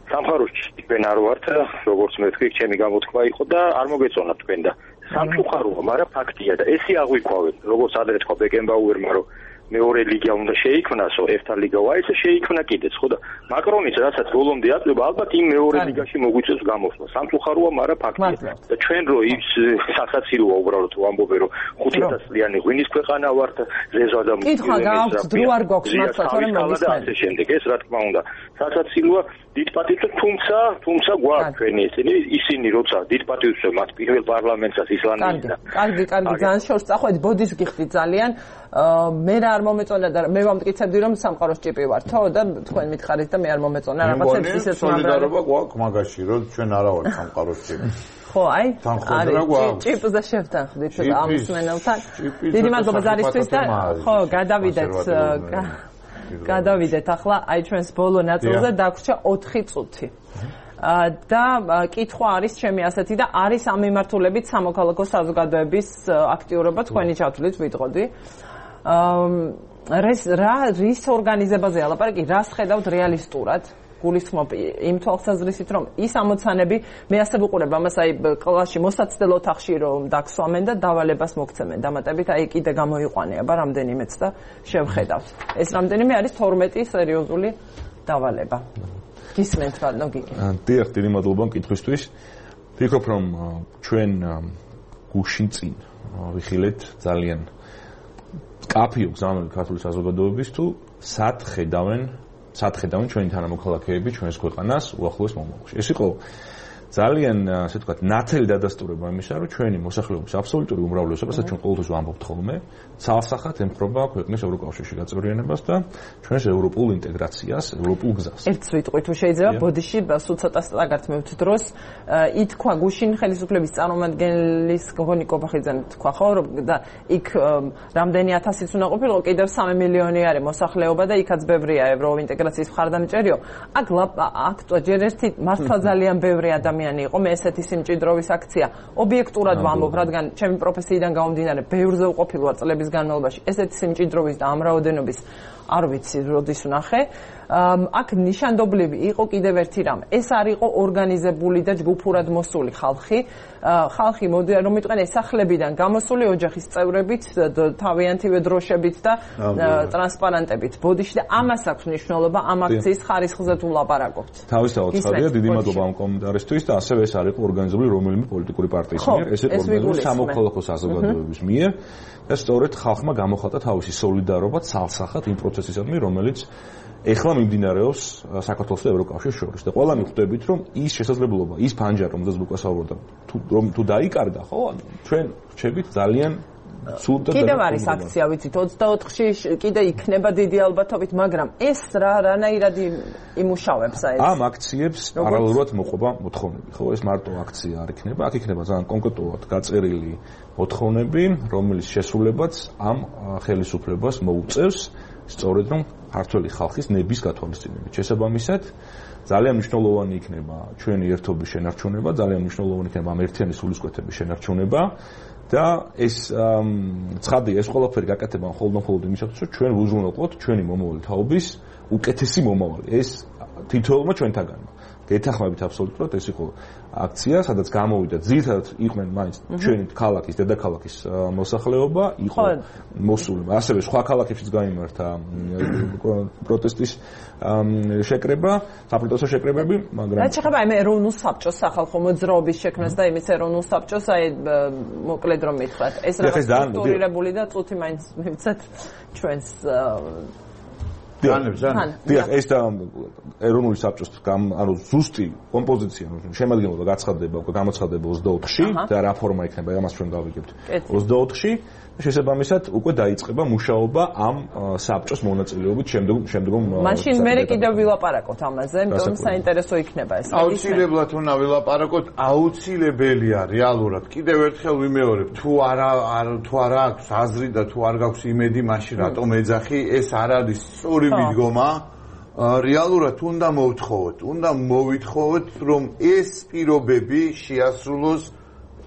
სამხაროში თქვენ არ ვართ, როგორც მეთქვი, ჩემი გამოთქვა იყო და არ მოგეწონა თქვენ და სამწუხაროა, მაგრამ ფაქტია და ესე აღვიქვავენ, როგორც ადრე თქვა ბეკენბაუერმა, რომ მეორე ლიგა უნდა შეიქმნასო, ერთა ლიგა ვაიცა შეიქმნა კიდეც, ხო და მაკრონის რასაც ბოლომდე აწვება, ალბათ იმ მეორე ლიგაში მოგვიწევს გამოსვლა. სამწუხაროა, მაგრამ ფაქტია. და ჩვენ რო ის სასაცილოა უბრალოდ ვამბობენ, რომ 500 წლიანი ღვინის ქვეყანა ვართ, ზეზვა და კითხვა გააქვს, დრო არ გვაქვს მართლა, თორემ მოგისმენთ. შემდეგ ეს რა თქმა უნდა, სასაცილოა დიდ პატივს, თუმცა გვაქვს ჩვენი ისინი როცა დიდ პატივს მათ პირველ პარლამენტსაც ისლანდიისა. კარგი, ძალიან შორს წახვედი, ბოდის გიხდი ძალიან. მე რა არ მომეწონა და მე ვამტკიცებდი რომ სამყაროს ჭიპი ვარ, თო და თქვენ მითხარით და მე არ მომეწონა რაღაცებს ისეც სოლიდარობა გვაქვს მაგაში, რომ ჩვენ არა ვართ სამყაროს ჭიპი. ხო, აი, ჭიპზე შევთანხმდით ამ მსმენელთან. დიდი მადლობა ზარისთვის და ხო, გადავიდეთ ახლა აი ჩვენს ბოლო ნაწილზე დაგვრჩა 4 წუთი. და კითხვა არის ჩემი ასეთი და არის ამ მიმართულებით სამოქალაქო საზოგადოების აქტიურობა თქვენი ჩათვლით ვიტყოდი. რის ორგანიზებაზე ალაპარაკი, რას ხედავთ რეალისტურად? გულისხმობ იმ თვალსაზრისით, რომ ის ამოცანები მე ასე ვუყურებ ამას აი კლასში მოსაცდელ ოთახში რომ დაგსვამენ და დავალებას მოგცემენ დამატებით აი კიდე გამოიყვანება რამდენიმეც და შევხედავთ. ეს რამდენიმე არის 12 სერიოზული დავალება. გისმენთ ბატონო გიგი. დიახ, დიდი მადლობა კითხვისთვის. ვფიქრობ რომ ჩვენ გუშინ წინ ვიხილეთ ძალიან კაფიო გზავნილი ქართული საზოგადოების თუ სად ხედავენ ჩვენი თანამოქალაქეები ჩვენს ქვეყანას უახლოეს მომავალში. ეს იყო ძალიან ასე ვთქვათ ნათელი დადასტურება იმისა, რომ ჩვენი მოსახლეობის აბსოლუტური უმრავლესობა, სადაც ჩვენ ყოველთვის ვამბობთ ხოლმე, ცალსახად ემხრობა ქვეყნის ევროკავშირში გაწევრიანებას და ჩვენს ევროპულ ინტეგრაციას, ევროპულ გზას. ერთ სიტყვით თუ შეიძლება ბოდიში სულ ცოტა სტაგართ მევთ დროს ითქვა გუშინ ხელისუფლების წარმომადგენლის გოგონი კობახიძემ თქვა ხო რომ და იქ რამდენი ათასიც უნდა ყოფილიყო, კიდევ 3 მილიონი არის მოსახლეობა და იქაც ბევრია ევროპულ ინტეგრაციის მხარდამჭერიო. აქ ჯერ ერთი მართლა ძალიან ბევრი ადამიანი იყო მე ესეთი სიმჭიდროვის აქცია ობიექტურად ვამბობ რადგან ჩემი პროფესიიდან გამომდინარე ბევრზე უყოფილ ვარ წლების განმავლობაში ესეთი სიმჭიდროვის და ამ რაოდენობის არ ვიცი როდის ვნახე აქ ნიშანდობლივი იყო კიდევ ერთი რამ ეს არ იყო ორგანიზებული და ჯგუფურად მოსული ხალხი რომ მიტყვენ სახლებიდან გამოსული ოჯახის წევრებით თავიანთივე დროშებით და ტრანსპარანტებით ბოდიში და ამას აქვს მნიშვნელობა ამ აქციის ხარისხზე თუ ლაპარაკობთ თავისთავად ხარია დიდი მადლობა ამ კომენტარისთვის და ასევე ეს არ იყო ორგანიზებული რომელიმე პოლიტიკური პარტიის მიერ ეს იყო ორგანიზებული სამოქალაქო საზოგადოების მიერ და სწორედ ხალხმა გამოხატა თავისი სოლიდარობა ცალსახად იმ პროცესისადმი რომელიც ეხლა მიმდინარეობს საქართველოს და ევროკავშირის შორის და ყველანი ხვდებით რომ ის შესაძლებლობა ის ფანჯარა რომელზეც ლუკას ავორდა თუ დაიკარგა ხო ჩვენ რჩებით ძალიან სულ და კიდევ არის აქცია ვიცით 24-ში კიდე იქნება დიდი ალბათობით მაგრამ ეს რანაირად იმუშავებს აი ეს ამ აქციებს პარალელურად მოყვება მოთხოვნები ხო ეს მარტო აქცია არ იქნება აქ იქნება ძალიან კონკრეტულად გაწერილი მოთხოვნები რომელიც შესრულებაც ამ ხელისუფლებას მოუწევს სწორედ რომ ქართული ხალხის ნების გათვალისწინებით შესაბამისად ძალიან მნიშვნელოვანი იქნება ჩვენი ერთობის შენარჩუნება ძალიან მნიშვნელოვანი იქნება ამ ერთიანი სულისკვეთების შენარჩუნება და ეს ცხადია ეს ყველაფერი გაკეთება მხოლოდ იმისათვის რომ ჩვენ ვუზრუნველყოთ ჩვენი მომავალი თაობის უკეთესი მომავალი ეს თითოეულმა ჩვენთაგანმა გეთანხმებით აბსოლუტურად ეს იყო აქცია სადაც გამოვიდა ძირითადად იყვნენ მაინც ჩვენი ქალაქის დედაქალაქის მოსახლეობა იყო მოსული ასევე სხვა ქალაქებშიც გაიმართა პროტესტის შეკრება საპროტესტო შეკრებები მაგრამ რაც შეხება იმ ეროვნულ საბჭოს სახალხო მოძრაობის შექმნას და იმის ეროვნულ საბჭოს აი მოკლედ რომ მითხრათ ეს რაღაც სტრუქტურირებული და წუთი მაინც მივცეთ ჩვენს დიახ ეს და ეროვნული საბჭოს ანუ ზუსტი კომპოზიცია შემადგენლობა გამოცხადდება 24-ში და რა ფორმა იქნება ამას ჩვენ გავიგებთ 24-ში შესაბამისად უკვე დაიწყება მუშაობა ამ საბჭოს მონაწილეობით შემდგომ მაშინ მე კიდევ ვილაპარაკოთ ამაზე იმიტომ საინტერესო იქნება ეს აუცილებლად უნდა ვილაპარაკოთ აუცილებელია რეალურად კიდევ ერთხელ ვიმეორებ თუ არა აქვს აზრი და თუ არ გაქვს იმედი მაშინ რატომ ეძახი ეს არ არის სწორი მიდგომა რეალურად უნდა მოვითხოვოთ, რომ ეს პირობები შეასრულოს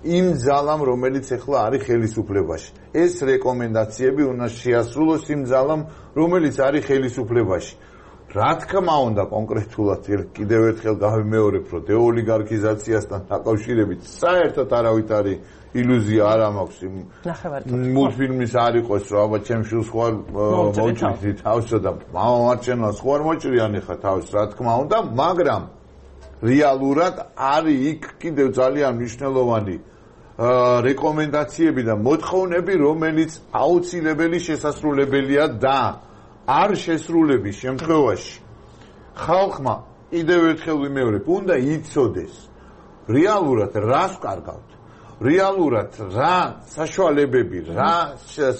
იმ ძალამ, რომელიც ახლა არის ხელისუფლებაში. ეს რეკომენდაციები უნდა შეასრულოს იმ ძალამ, რომელიც არის ხელისუფლებაში. რა თქმა უნდა, კონკრეტულად კიდევ ერთხელ გავიმეორებ, რომ დეოლიგარქიზაციასთან დაკავშირებით საერთოდ არავითარი ილუზია არ მაქვს იმ მულტფილმის არ იყოს, რომ აბა ჩემ შვილს ხوار მოუჭრით თავსა და მამამარჩენელს ხوار მოჭრიან ხა თავს, რა თქმა უნდა, მაგრამ რეალურად არის იქ კიდევ ძალიან მნიშვნელოვანი რეკომენდაციები და მოთხოვნები, რომელიც აუცილებელი შესასრულებელია და არ შესრულების შემთხვევაში ხალხმა კიდევ ერთხელ ვიმეორებ, უნდა იცოდეს რეალურად რას ვკარგავთ, რეალურად რა საშუალებები, რა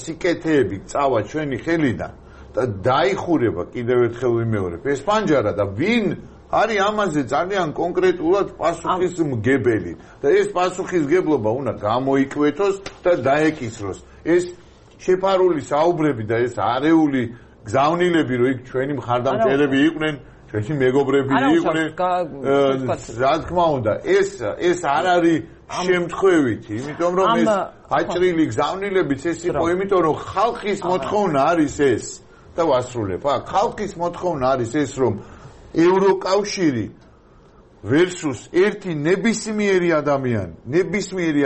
სიკეთეები წავა ჩვენი ხელიდან და დაიხურება კიდევ ერთხელ ვიმეორებ ეს პანჯარა და ვინ არის ამაზე ძალიან კონკრეტულად პასუხისმგებელი და ეს პასუხისმგებლობა უნდა გამოიკვეთოს და დაეკისროს. ეს შეფარული საუბრები და ეს არეული გზავნილები, რომ იქ ჩვენი მხარდამჭერები იყვნენ, ჩვენი მეგობრები იყვნენ, რა თქმა უნდა, ეს არ არის შემთხვევითი, იმიტომ რომ ეს აჭრილი გზავნილებიც ეს იყო, იმიტომ რომ ხალხის მოთხოვნა არის ეს და ვასრულებ. ხალხის მოთხოვნა არის ეს, რომ ევროკავშირი versus ერთი ნებისმიერი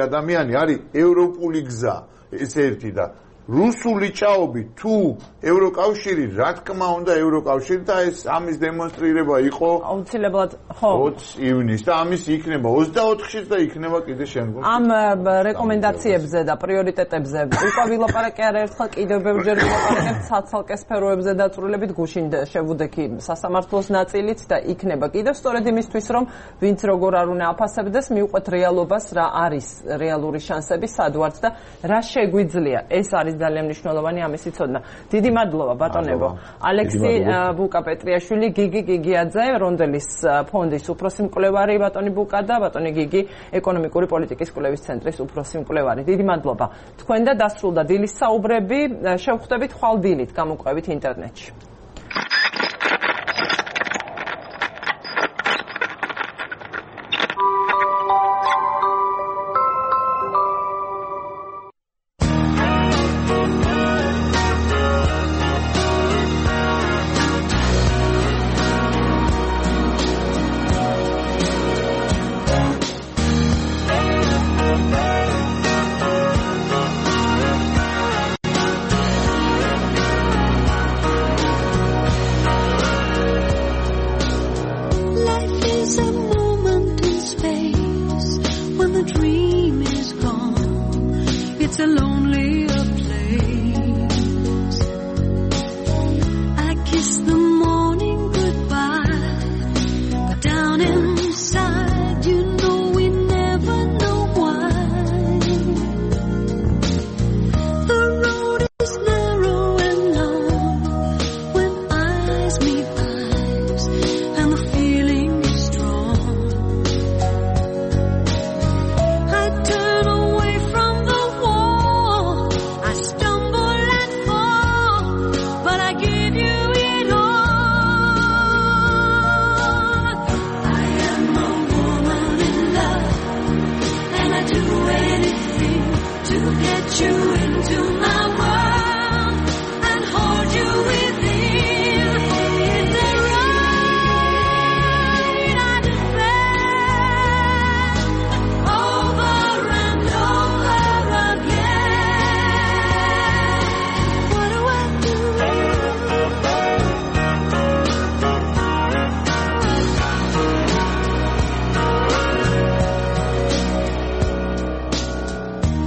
ადამიანი არის ევროპული გზა, ეს ერთი და რუსული ჭაობი თუ ევროკავშირი, რა თქმა უნდა ევროკავშირი და ეს ამის დემონსტრირება იყო აუცილებლად ხო 20 ივნისს და ამის იქნება 24-შიც და იქნება კიდე შემდგომ. ამ რეკომენდაციებზე და პრიორიტეტებზე უკვე ვილაპარაკე არაერთხელ კიდევ ბევრჯერ ვილაპარაკებ ცალ-ცალკე სფეროებზე დაწვრილებით გუშინ შევუდექი სასამართლოს ნაწილით და იქნება კიდევ სწორედ იმისთვის რომ ვინც როგორ არ უნდა აფასებდეს მივყვეთ რეალობას რა არის რეალური შანსები სად ვართ და რა შეგვიძლია ეს არის ძალიან მნიშვნელოვანი ამისი ცოდნა. დიდი მადლობა ბატონებო. ალექსი ბუკა-პეტრიაშვილი, გიგი გიგიაძე, რონდელის ფონდის უფროსი მკვლევარი ბატონი ბუკა და ბატონი გიგი ეკონომიკური პოლიტიკის კვლევის ცენტრის უფროსი მკვლევარი. დიდი მადლობა. თქვენ და დასრულდა დილის საუბრები, შევხვდებით ხვალ დილით გამოკვებით ინტერნეტში.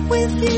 With you